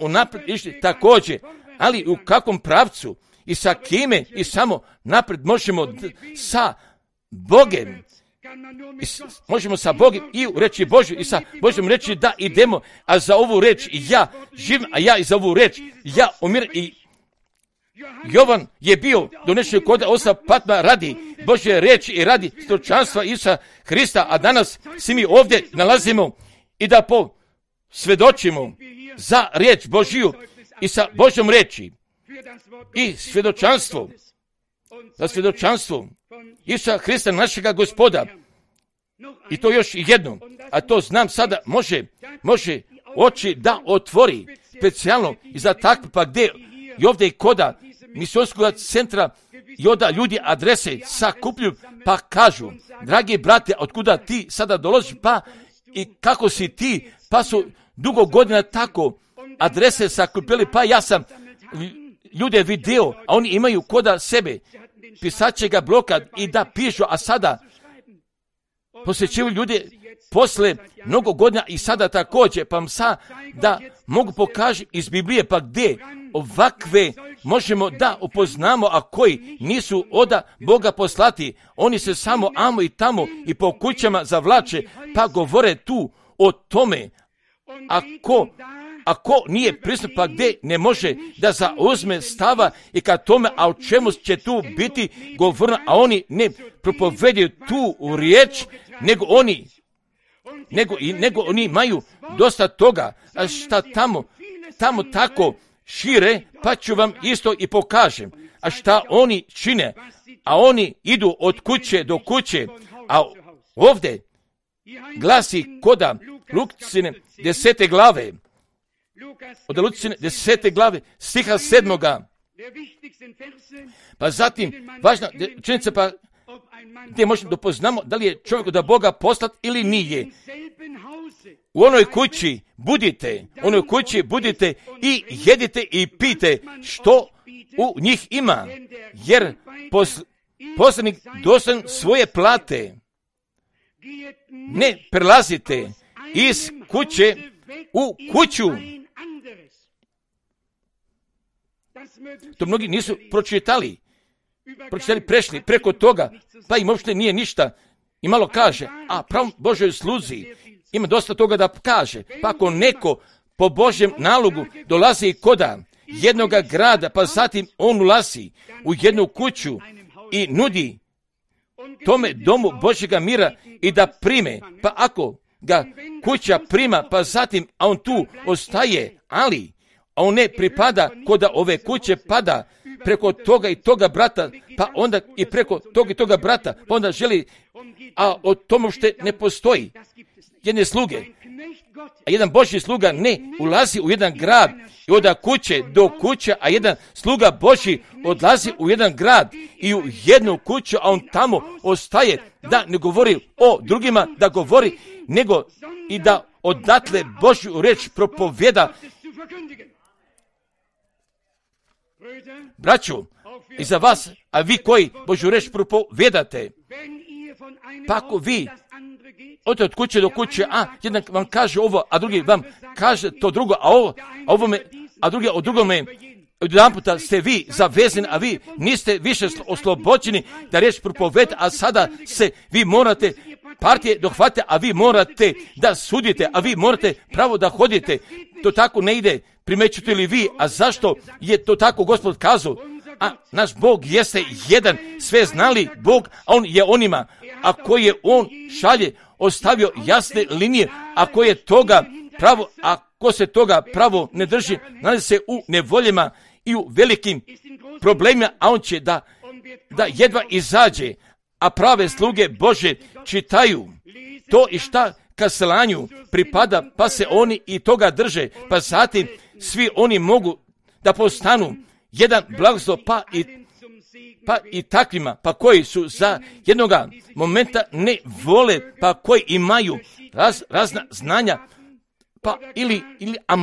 unaprijed išli također, ali u kakvom pravcu i sa kime i samo naprijed možemo sa Bogem. Možemo sa Bogom i u reči Božju i sa Božjom reći da idemo, a za ovu reč ja živim, a ja i za ovu reč ja umiram. I Jovan je bio donešen kod oca Patma radi Božje reči i radi stočanstva Isusa Hrista, a danas svi mi ovdje nalazimo i da svjedočimo za riječ Božju i sa Božjom reči i svjedočanstvo Isusa Hrista našega Gospoda. I to još jedno, a to znam sada može oči da otvori specijalno i za takve, pa gdje i ovdje i koda misionskog centra i onda ljudi adrese sakupljuju, pa kažu, dragi brate, otkuda ti sada dolaziš, pa i kako si ti, pa su dugo godina tako adrese sakupili, pa ja sam ljude video, a oni imaju koda sebe pisačega bloka i da pišu, a sada posjećuju ljude posle mnogo godina i sada također, pa da mogu pokažiti iz Biblije, pa gdje ovakve možemo da upoznamo, a koji nisu od Boga poslati, oni se samo amo i tamo i po kućama zavlače, pa govore tu o tome, ako nije pristup, pa gdje ne može da zauzme stava i ka tome, a o čemu će tu biti govorno, a oni ne propovedaju tu riječ, nego oni imaju dosta toga, a šta tamo tako šire, pa ću vam isto i pokažem. A šta oni čine? A oni idu od kuće do kuće, a ovdje glasi koda Lukcine 10. glave, od Lukcine 10. glave, stiha 7. Pa zatim, važna činjenica, pa gdje možemo da poznamo da li je čovjek od Boga poslat ili nije. u onoj kući budite i jedite i pijte što u njih ima, jer poslanik dostojan svoje plate. Ne prelazite iz kuće u kuću. To mnogi nisu pročitali, prešli preko toga, pa im uopšte nije ništa i malo kaže, a pravom Božoj sluzi ima dosta toga da kaže. Pa ako neko po Božjem nalogu dolazi koda jednoga grada, pa zatim on ulazi u jednu kuću i nudi tome domu Božjega mira i da prime, pa ako ga kuća prima, pa zatim a on tu ostaje, ali on ne pripada koda ove kuće, pada preko toga i toga brata, pa onda i preko toga i toga brata, pa onda želi, a o tomu što ne postoji jedne sluge. A jedan Božji sluga ne ulazi u jedan grad i od kuće do kuće, a jedan sluga Božji odlazi u jedan grad i u jednu kuću, a on tamo ostaje, da ne govori o drugima, da govori, nego i da odatle Božju reč propovjeda. Braćo, i za vas, a vi koji Božju reč propovjedate, pa ako vi odete od kuće do kuće, a jedan vam kaže ovo, a drugi vam kaže to drugo, a drugi od drugome, jedan puta ste vi zavezani, a vi niste više oslobođeni da riječ propovjedate, a sada se vi morate partije dohvatite, a vi morate da sudite, a vi morate pravo da hodite. To tako ne ide, primećujete li vi, a zašto je to tako Gospod kazao? A naš Bog jeste jedan, sve znali Bog, a on je onima, a koje on šalje, ostavio jasne linije, a koje toga pravo, a ko se toga pravo ne drži, nalazi se u nevoljama i u velikim problemima, a on će da jedva izađe, a prave sluge Bože čitaju to i šta kaselanju pripada, pa se oni i toga drže, pa zatim svi oni mogu da postanu jedan blagoslov, pa i takvima, pa koji su za jednoga momenta ne vole, pa koji imaju razna znanja, pa a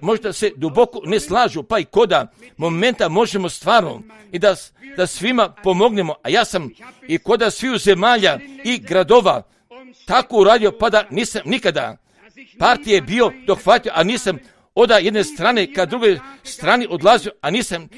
možda se duboko ne slažu, pa i koda momenta možemo stvarno i da svima pomognemo, a ja sam i koda sviju zemalja i gradova tako uradio, pa da nisam nikada partije bio dohvatio, a nisam od jedne strane ka druge strani odlazio, a nisam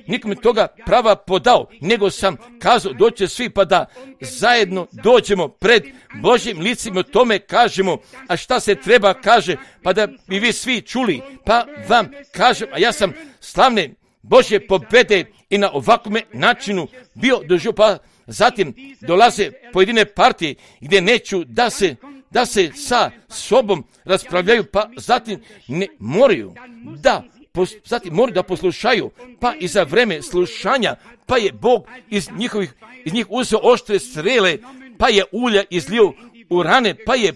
nikom toga prava podao, nego sam kazao doće svi pa da zajedno dođemo pred Božjim licima, o tome kažemo, a šta se treba kaže, pa da bi vi svi čuli, pa vam kažem, a ja sam slavne Božje pobjede i na ovakvom načinu bio doživio, pa zatim dolaze pojedine partije gdje neću da se sa sobom raspravljaju, pa zatim ne moraju da poslušaju, pa i za vreme slušanja, pa je Bog iz njih uzeo oštre strele, pa je ulja izlio u rane, pa je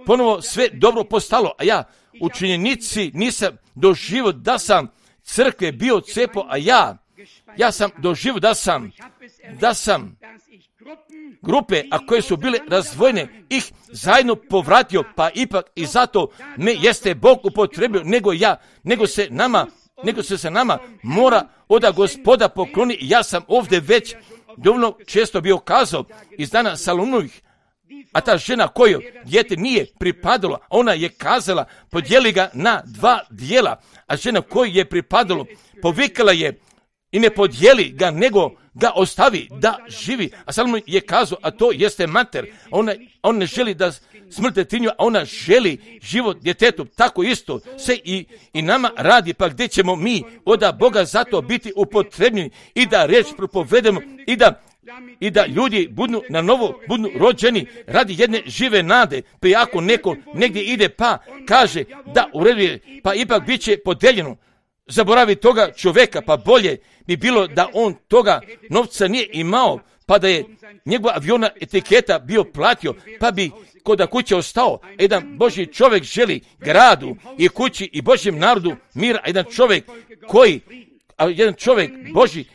ponovo sve dobro postalo, a ja u činjenici nisam doživio da sam crkve bio cepo, a ja sam doživio da sam grupe, a koje su bile razvojene, ih zajedno povratio, pa ipak i zato me jeste Bog upotrebio, nego se nama mora od Gospoda pokloni. Ja sam ovdje već dovoljno često bio kazao iz dana Salomovih, a ta žena koju dijete nije pripadalo, ona je kazala, podijeli ga na 2 dijela, a žena koju je pripadalo, povikala je i ne podijeli ga, nego ga ostavi da živi. A Salomon je kazao, a to jeste mater, on ne želi da smrte tinju, a ona želi život djetetu. Tako isto se i nama radi, pa gdje ćemo mi od Boga zato biti upotrebljeni i da riječ propovedemo i da ljudi budu na novo, budu rođeni radi jedne žive nade. Pa ako neko negdje ide pa kaže da u redu je, pa ipak bit će podeljeno. Zaboravi toga čovjeka, pa bolje bi bilo da on toga novca nije imao, pa da je njegova aviona etiketa bio platio, pa bi kod kuće ostao. Jedan Božji čovjek želi gradu i kući i Božjem narodu mira, jedan čovjek Božji,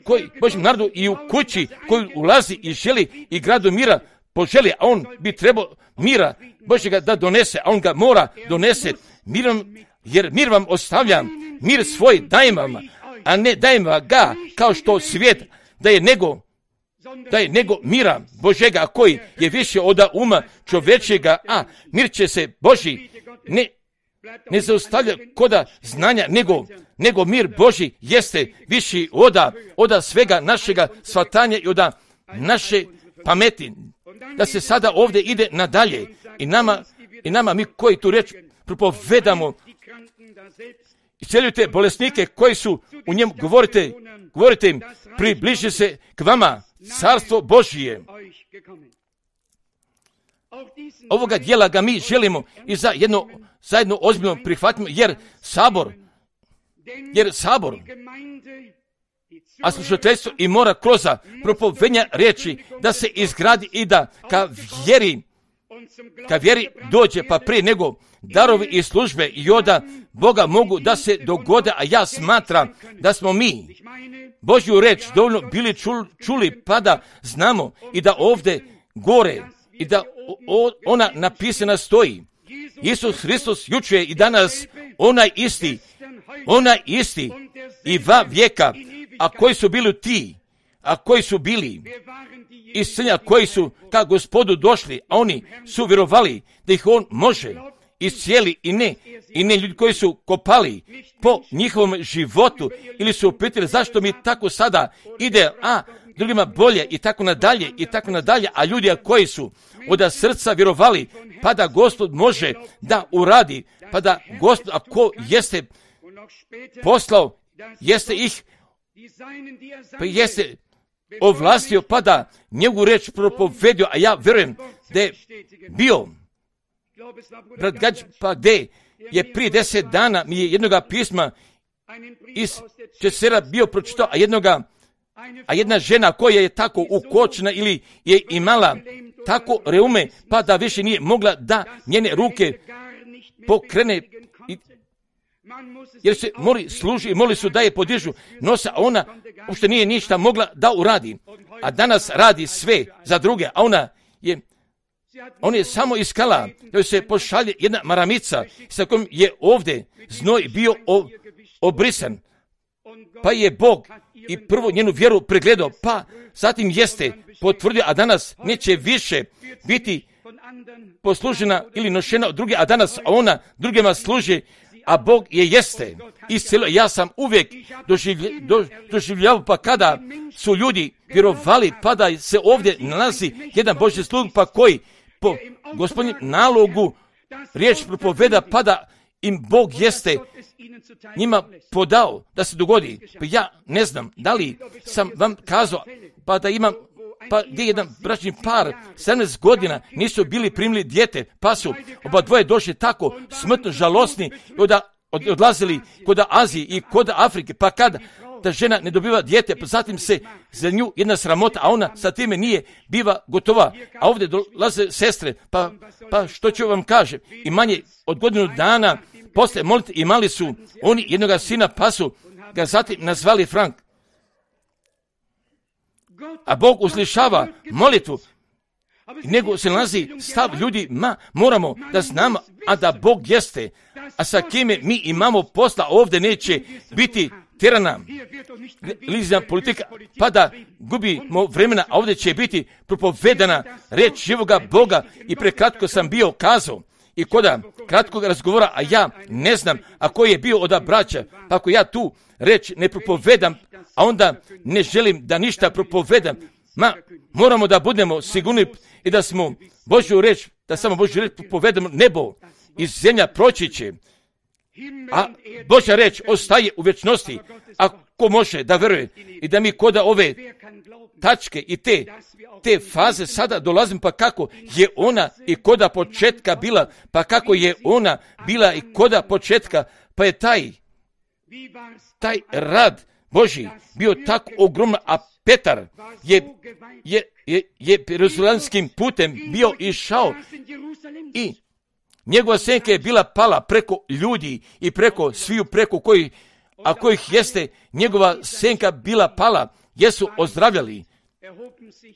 koji Božjem narodu i u kući koji ulazi i želi i gradu mira, poželi, a on bi trebao mira Božjega da donese, a on ga mora donese mirom, jer mir vam ostavljam, mir svoj dajem vam, a ne dajem vam ga kao što svijet daje, nego mira Božjega koji je više od uma čovječega, a mir će se Božji ne zaustavlja koda znanja, nego mir Božji jeste viši oda svega našega shvatanja i oda naše pameti. Da se sada ovdje ide nadalje i nama mi koji tu reč propovedamo, isceljujte bolesnike koji su u njemu, govorite im, približi se k vama carstvo Božije. Ovoga dijela ga mi želimo i zajedno ozbiljno prihvatimo, jer sabor, a slušateljstvo i mora kroz propovedanja riječi da se izgradi i da ka vjeri dođe, pa prije nego darovi i službe i oda Boga mogu da se dogode, a ja smatram da smo mi Božju reč dovoljno bili čuli, pa da znamo i da ovdje gore i da ona napisana stoji. Isus Hristos jučer i danas onaj isti i va vijeka, a koji su bili ti, a koji su bili iscelja, koji su ka Gospodu došli, a oni su vjerovali da ih on može iscijeli i ne ljudi koji su kopali po njihovom životu ili su upitali zašto mi tako sada ide, a drugima bolje i tako nadalje, a ljudi koji su od srca vjerovali, pa da Gospod može da uradi, pa da Gospod, ako jeste poslao, jeste ih, pa jeste ovlastio, pa da njegovu reč propovedio, a ja vjerujem da je bio brat Gađ, pa gdje je prije 10 dana mi je jednoga pisma iz Česera bio pročitao, a jedna žena koja je tako ukočena ili je imala tako reume, pa da više nije mogla da njene ruke pokrene, jer se moli su da je podižu nosa, a ona uopšte nije ništa mogla da uradi, a danas radi sve za druge, a on je samo iskala da se pošalje jedna maramica sa kojom je ovdje znoj bio obrisan, pa je Bog i prvo njenu vjeru pregledao, pa zatim jeste potvrdio, a danas neće više biti poslužena ili nošena od druge, a danas ona drugima služi, a Bog je jeste iscelio. Ja sam uvijek doživljavao, pa kada su ljudi vjerovali, pa da se ovdje nalazi jedan Božji slug, pa koji po Gospodnjem nalogu riječ propoveda, pa da im Bog jeste njima podao da se dogodi. Pa ja ne znam da li sam vam kazao, pa da imam, pa gdje jedan bračni par 17 godina nisu bili primili dijete, pa su oba dvoje došli tako smrtno žalosni i odlazili kod Azije i kod Afrike, pa kada ta žena ne dobiva dijete, pa zatim se za nju jedna sramota, a ona sa time nije biva gotova. A ovdje dolaze sestre, pa što ću vam kažem, i manje od godinu dana posle molite imali su oni jednoga sina, pa su ga zatim nazvali Frank. A Bog uslišava molitvu, nego se nalazi stav ljudi, moramo da znamo, a da Bog jeste, a sa kime mi imamo posla, ovdje neće biti tirana lizna politika, pa da gubimo vremena, a ovdje će biti propovedana reč živoga Boga. I prekratko sam bio kazao i koda kratkog razgovora, a ja ne znam ako je bio od braća, pa ako ja tu reč ne propovedam, a onda ne želim da ništa propovedam, moramo da budemo sigurni i da smo Božju reč, da samo Božju reč propovedamo, nebo i zemlja proći će, a Božja reč ostaje u vječnosti. Ako može da veruje i da mi koda ove tačke i te faze sada dolazim, pa kako je ona i koda početka bila, pa kako je ona bila i koda početka, pa je taj rad Božji bio tako ogroman, a Petar je Jerusalemskim putem bio išao i njegova senka je bila pala preko ljudi i preko sviju, preko kojih jeste njegova senka bila pala, jesu ozdravljali.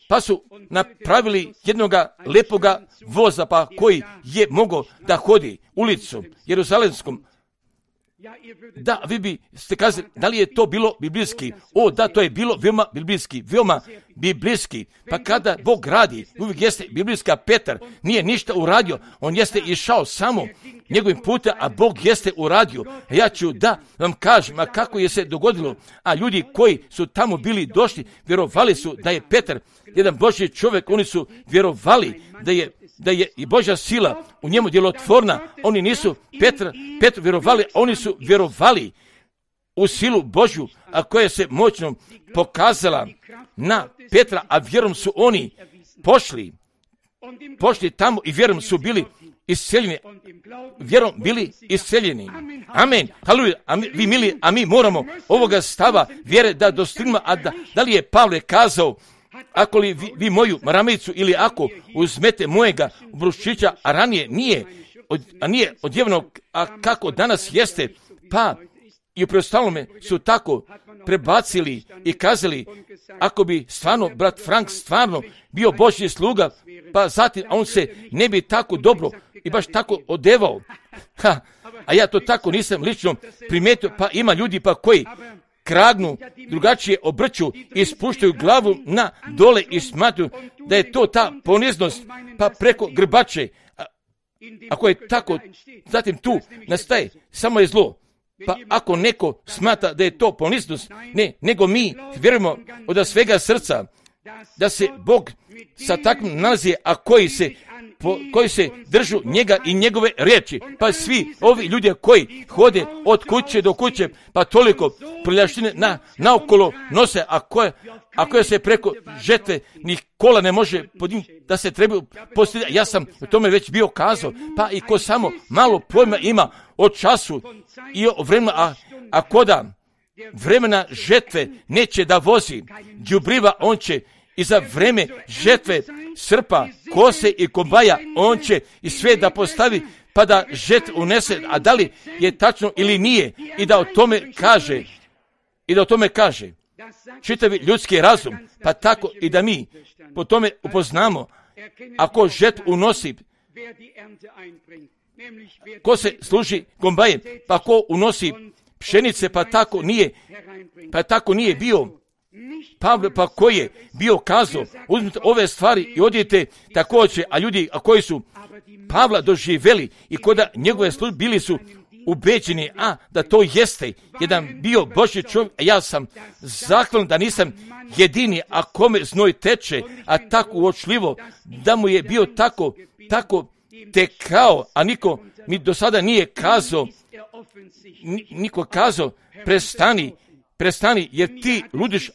pa su napravili jednoga lepoga voza, pa koji je mogao da hodi ulicom Jeruzalemskom. Da, vi biste kazali, da li je to bilo biblijski? O, da, to je bilo veoma biblijski. Pa kada Bog radi, uvijek jeste biblijska. Petar nije ništa uradio, on jeste išao samo njegovim putem, a Bog jeste uradio. Ja ću da vam kažem, a kako je se dogodilo, a ljudi koji su tamo bili došli, vjerovali su da je Petar jedan Božji čovjek, oni su vjerovali da je i Božja sila u njemu djelotvorna. Oni nisu Petru vjerovali, oni su vjerovali u silu Božju, a koja se moćno pokazala na Petra, a vjerom su oni pošli tamo i vjerom su bili isceljeni. Vjerom bili isceljeni. Amen. Haleluja. Vi mili, a mi moramo ovoga stava vjere da dostignemo. A da li je Pavle kazao, ako li vi moju maramicu ili ako uzmete mojega bruščića, a ranije nije odjevno, a kako danas jeste, pa i u preostalome su tako prebacili i kazali, ako bi stvarno brat Frank stvarno bio Božji sluga, pa zatim on se ne bi tako dobro i baš tako odevao. A ja to tako nisam lično primijetio, pa ima ljudi pa koji kragnu, drugačije obrću i spuštaju glavu na dole i smatruju da je to ta poniznost, pa preko grbače. Ako je tako, zatim tu nastaje samo je zlo. Pa ako neko smatra da je to poniznost, ne, nego mi vjerujemo od svega srca da se Bog sa takvim nalazi, a koji se držu njega i njegove riječi. Pa svi ovi ljudi koji hode od kuće do kuće, pa toliko prljaštine naokolo nose, a koje se preko žetve ni kola ne može podignuti, da se trebaju postiti. Ja sam o tome već bio kazao, pa i ko samo malo pojma ima o času i o vremenu, a koda vremena žetve neće da vozi đubriva, on će i za vreme žetve srpa, kose i kombaja, on će i sve da postavi, pa da žetvu unese, a da li je tačno ili nije, i da o tome kaže čitavi ljudski razum, pa tako i da mi po tome upoznamo, ako žetvu unosi, ko se služi kombajem, pa ko unosi pšenice, pa tako nije bio Pavle, pa koji je bio kazao, uzmite ove stvari i odijete također, a ljudi koji su Pavla doživjeli i koda njegove službe bili su ubeđeni, da to jeste jedan bio Božji čovjek, a ja sam zahvalan da nisam jedini, a kome znoj teče, a tako uočljivo, da mu je bio tako tekao, a niko mi do sada nije kazao, prestani, jer ti ludiš,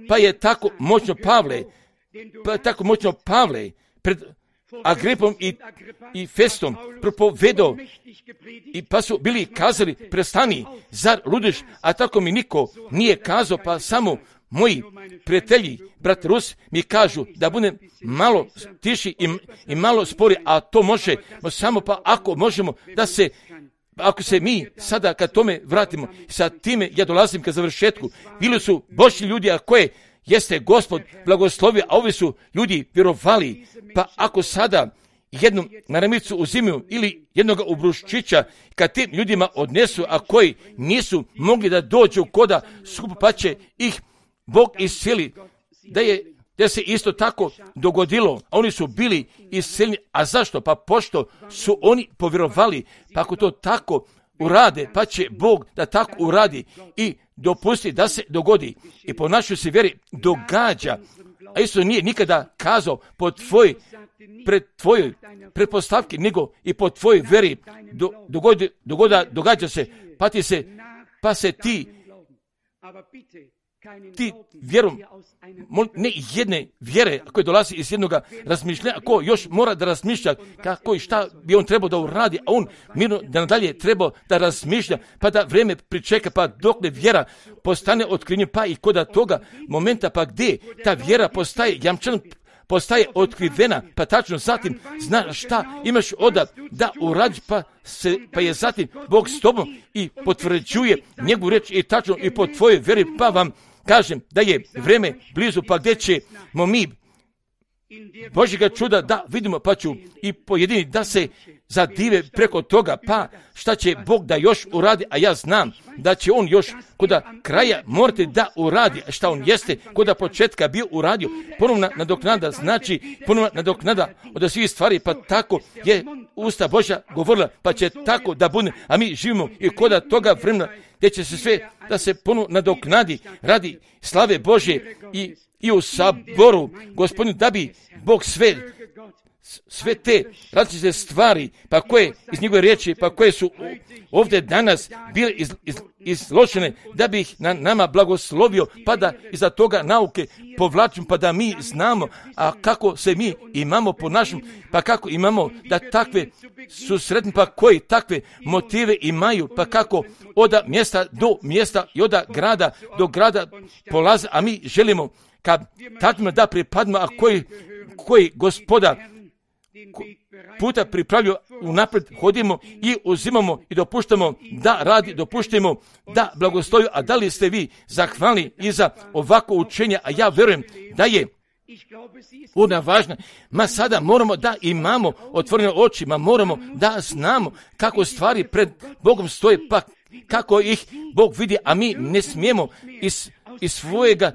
pa je tako moćno Pavle pred Agripom i Festom propovedao, i pa su bili kazali, prestani, zar ludiš, a tako mi niko nije kazao, pa samo moji prijatelji, brat Rus, mi kažu da budem malo tiši i malo spori, a to može samo pa ako možemo ako se mi sada kad tome vratimo, sa time ja dolazim ka završetku. Bili su Božji ljudi, a koje jeste Gospod blagoslovio, a ovi su ljudi vjerovali, pa ako sada jednu maramicu uzimaju ili jednoga ubruščića, kad tim ljudima odnesu, a koji nisu mogli da dođu koda skupa, pa će ih Bog isceli, da se isto tako dogodilo, a oni su bili isceljeni. A zašto? Pa pošto su oni povjerovali, pa ako to tako urade, pa će Bog da tako uradi i dopusti da se dogodi. I po našoj se vjeri događa, a isto nije nikada kazao pred tvojoj pretpostavki, nego i po tvojoj vjeri događa se, pa se ti vjerom, ne jedne vjere koje dolazi iz jednog razmišljanja, ko još mora da razmišlja kako i šta bi on trebao da uradi, a on mirno da nadalje trebao da razmišlja, pa da vrijeme pričeka, pa dok ne vjera postane otkrivenjem, pa i kod toga momenta, pa gdje ta vjera postaje jamčan, postaje otkrivena, pa tačno zatim zna šta imaš da uradiš, pa je zatim Bog s tobom i potvrđuje njegovu riječ i tačno i po tvojoj vjeri, pa vam kažem da je vrijeme blizu, pa gdje ćemo mi Božjega čuda da vidimo, pa ću i pojedini da se zadive preko toga, pa šta će Bog da još uradi, a ja znam da će On još koda kraja morati da uradi, šta On jeste koda početka bio uradio, ponovna nadoknada, znači ponovna nadoknada od svih stvari, pa tako je usta Božja govorila, pa će tako da bude, a mi živimo i koda toga vremena gdje će se sve da se ponovno nadoknadi radi slave Božje i u saboru Gospodinu, da bi Bog sve te različite stvari, pa koje iz njegove riječi, pa koje su ovdje danas bile izložene, da bi ih na nama blagoslovio, pa da iza toga nauke povlačimo, pa da mi znamo, a kako se mi imamo po našem, pa kako imamo da takve su sretni, pa koji takve motive imaju, pa kako od mjesta do mjesta i od grada do grada polaze, a mi želimo kad takvima da pripadimo, a koji Gospoda puta pripravljaju unaprijed, hodimo i uzimamo i dopuštamo da radi, dopuštamo da blagoslovi. A da li ste vi zahvalni i za ovako učenje? A ja vjerujem da je ona važna. Sada moramo da imamo otvorene oči, moramo da znamo kako stvari pred Bogom stoje, pa kako ih Bog vidi, a mi ne smijemo iz svojega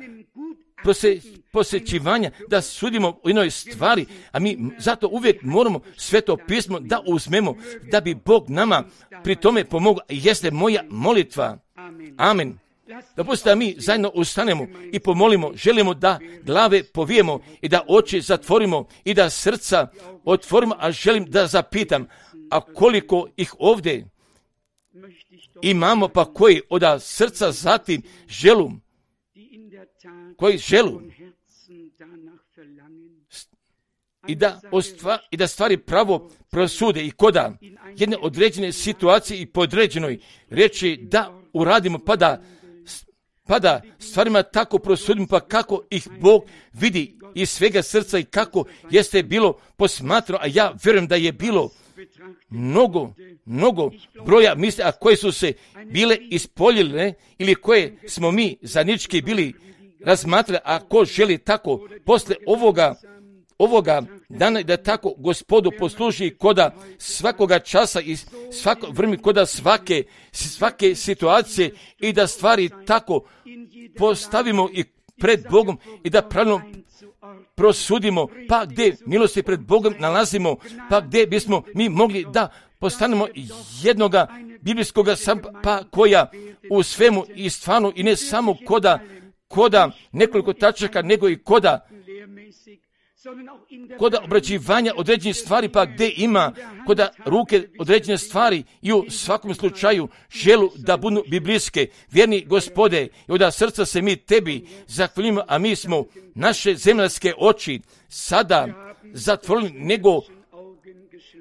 posjećivanja da sudimo u jednoj stvari, a mi zato uvijek moramo Sveto pismo da uzmemo, da bi Bog nama pri tome pomogao. Jeste moja molitva. Amen. Dopustite da mi zajedno ustanemo i pomolimo, želimo da glave povijemo i da oči zatvorimo i da srca otvorimo, a želim da zapitam, a koliko ih ovdje imamo, pa koji od srca zatim želu, koji želu i da stvari pravo prosude i koda jedne određene situacije i podređenoj riječi da uradimo, pa da stvarima tako prosudimo, pa kako ih Bog vidi iz svega srca i kako jeste bilo posmatrano, a ja vjerujem da je bilo mnogo broja misli, a koje su se bile ispoljile ili koje smo mi zajednički bili razmatrali, a ko želi tako posle ovoga dana da tako Gospodu posluži koda svakoga časa i svako vrijeme, koda svake situacije i da stvari tako postavimo i pred Bogom i da pravilno prosudimo, pa gdje milosti pred Bogom nalazimo, pa gdje bismo mi mogli da postanemo jednoga biblijskoga pa koja u svemu i stvarno i ne samo koda nekoliko tačaka, nego i koda obrađivanja određenih stvari, pa gdje ima koda ruke određene stvari i u svakom slučaju želu da budu biblijske. Vjerni Gospode, i od srca se mi tebi zahvaljujemo, a mi smo naše zemaljske oči sada zatvorili,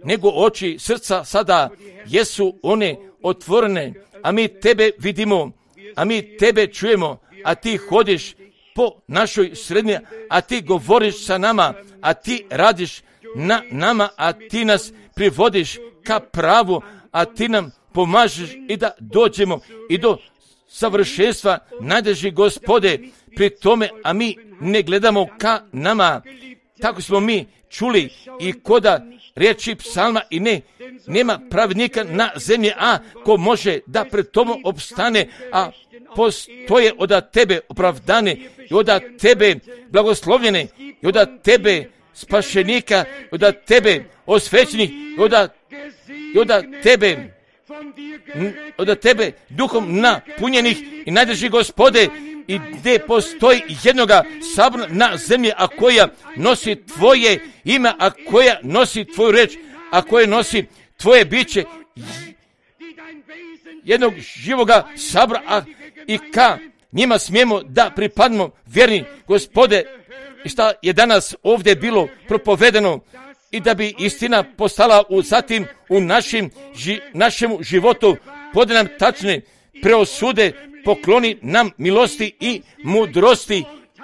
nego oči srca sada jesu one otvorene, a mi tebe vidimo, a mi tebe čujemo, a ti hodiš po našoj sredini, a ti govoriš sa nama, a ti radiš na nama, a ti nas privodiš ka pravu, a ti nam pomažeš i da dođemo i do savršenstva, najdraži Gospode, pri tome, a mi ne gledamo ka nama. Tako smo mi čuli i koda riječi psalma i nema pravednika na zemlji, a ko može da pred tobom opstane, a postoje od tebe opravdane i od tebe blagoslovljene i od tebe spašenika, i od tebe osvećenih i od tebe duhom napunjenih i najdrži Gospode, i gdje postoji jednoga sabora na zemlji, a koja nosi tvoje ime, a koja nosi tvoju reč, a koja nosi tvoje biće, jednog živoga sabora, i ka njima smijemo da pripadnemo, vjerni Gospode, i šta je danas ovdje bilo propovedeno, i da bi istina postala zatim u našemu životu, pode nam tačne preosude, pokloni nam milosti i mudrosti,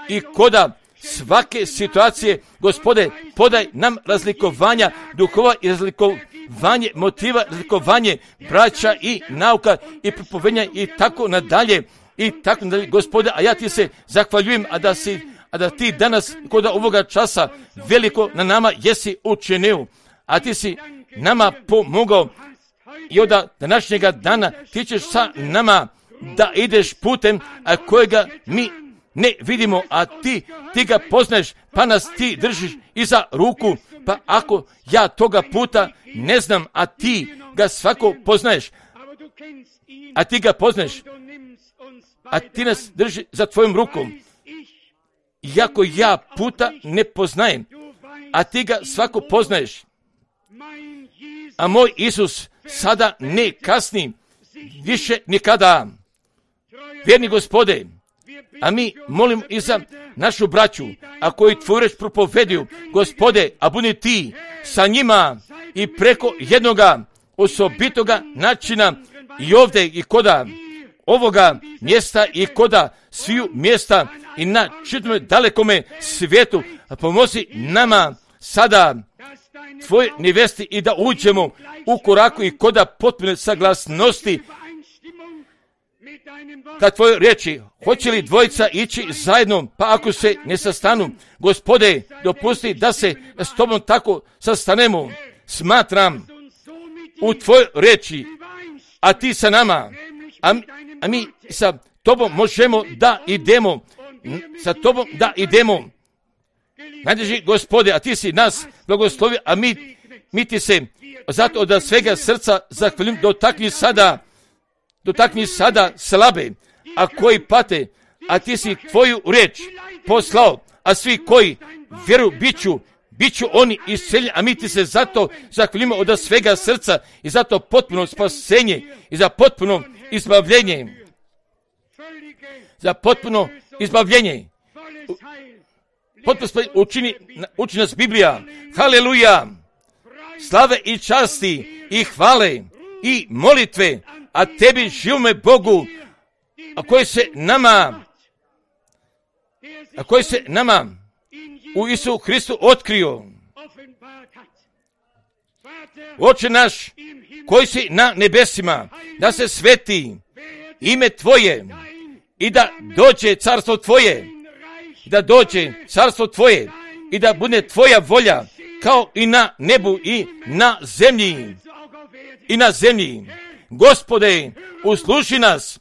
i koda svake situacije, Gospode, podaj nam razlikovanja duhova i razlikovanje motiva, razlikovanje braća i nauka i propovedanja i tako nadalje. i tako dalje, Gospode, a ja ti se zahvaljujem, a da ti danas kod ovoga časa veliko na nama jesi učinio, a ti si nama pomogao i od današnjega dana ti ćeš sa nama da ideš putem, a kojega mi ne vidimo, a ti ga poznaješ, pa nas ti držiš iza ruku, pa ako ja toga puta ne znam, a ti ga svako poznaješ, a ti ga poznaješ, a ti nas drži za tvojom rukom, iako ja puta ne poznajem, a ti ga svako poznaješ, a moj Isus sada ne kasni, više nikada. Vjerni Gospode, a mi molim i za našu braću, a koji tvoju reč propoveduju, Gospode, a budi ti sa njima i preko jednoga osobitoga načina i ovdje i koda ovoga mjesta i koda sviju mjesta i na čitome dalekome svijetu, a pomozi nama sada tvoje nevesti i da uđemo u koraku i koda potpune saglasnosti ka tvojoj riječi. Hoće li dvojica ići zajedno, pa ako se ne sastanu, Gospode, dopusti da se s tobom tako sastanemo. Smatram u tvojoj riječi, a ti sa nama, a mi sa tobom možemo da idemo, Najdraži Gospode, a ti si nas blagoslovio, a mi ti se zato od svega srca zahvaljujem. Dotakni sada slabe, a koji pate, a ti si tvoju riječ poslao, a svi koji vjeruju bit ću oni isceljeni, a mi ti se zato zahvaljujemo od svega srca i zato potpuno spasenje i za potpuno izbavljenje. Potpuno učini nas Biblija. Haleluja! Slave i časti i hvale i molitve, a tebi živome Bogu, a koji se nama u Isu Hristu otkrio. Oče naš, koji si na nebesima, da se sveti ime tvoje i da dođe carstvo tvoje, i da bude tvoja volja kao i na nebu i na zemlji. Gospode, usluši nas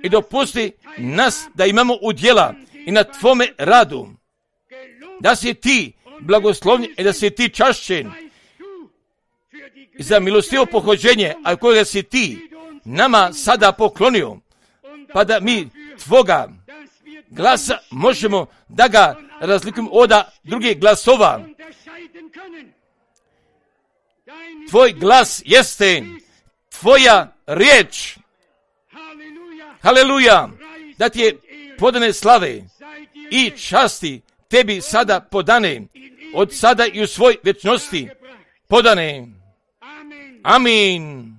i dopusti nas da imamo udjela i na tvome radu, da si ti blagoslovljen i da si ti čašćen za milostivo pohođenje, a kojega si ti nama sada poklonio, pa da mi tvoga glasa možemo da ga razlikujemo od drugih glasova. Tvoj glas jeste tvoja riječ. Haleluja! Da ti je podane slave i časti tebi sada podane, od sada i u svoj vječnosti podane. Amin.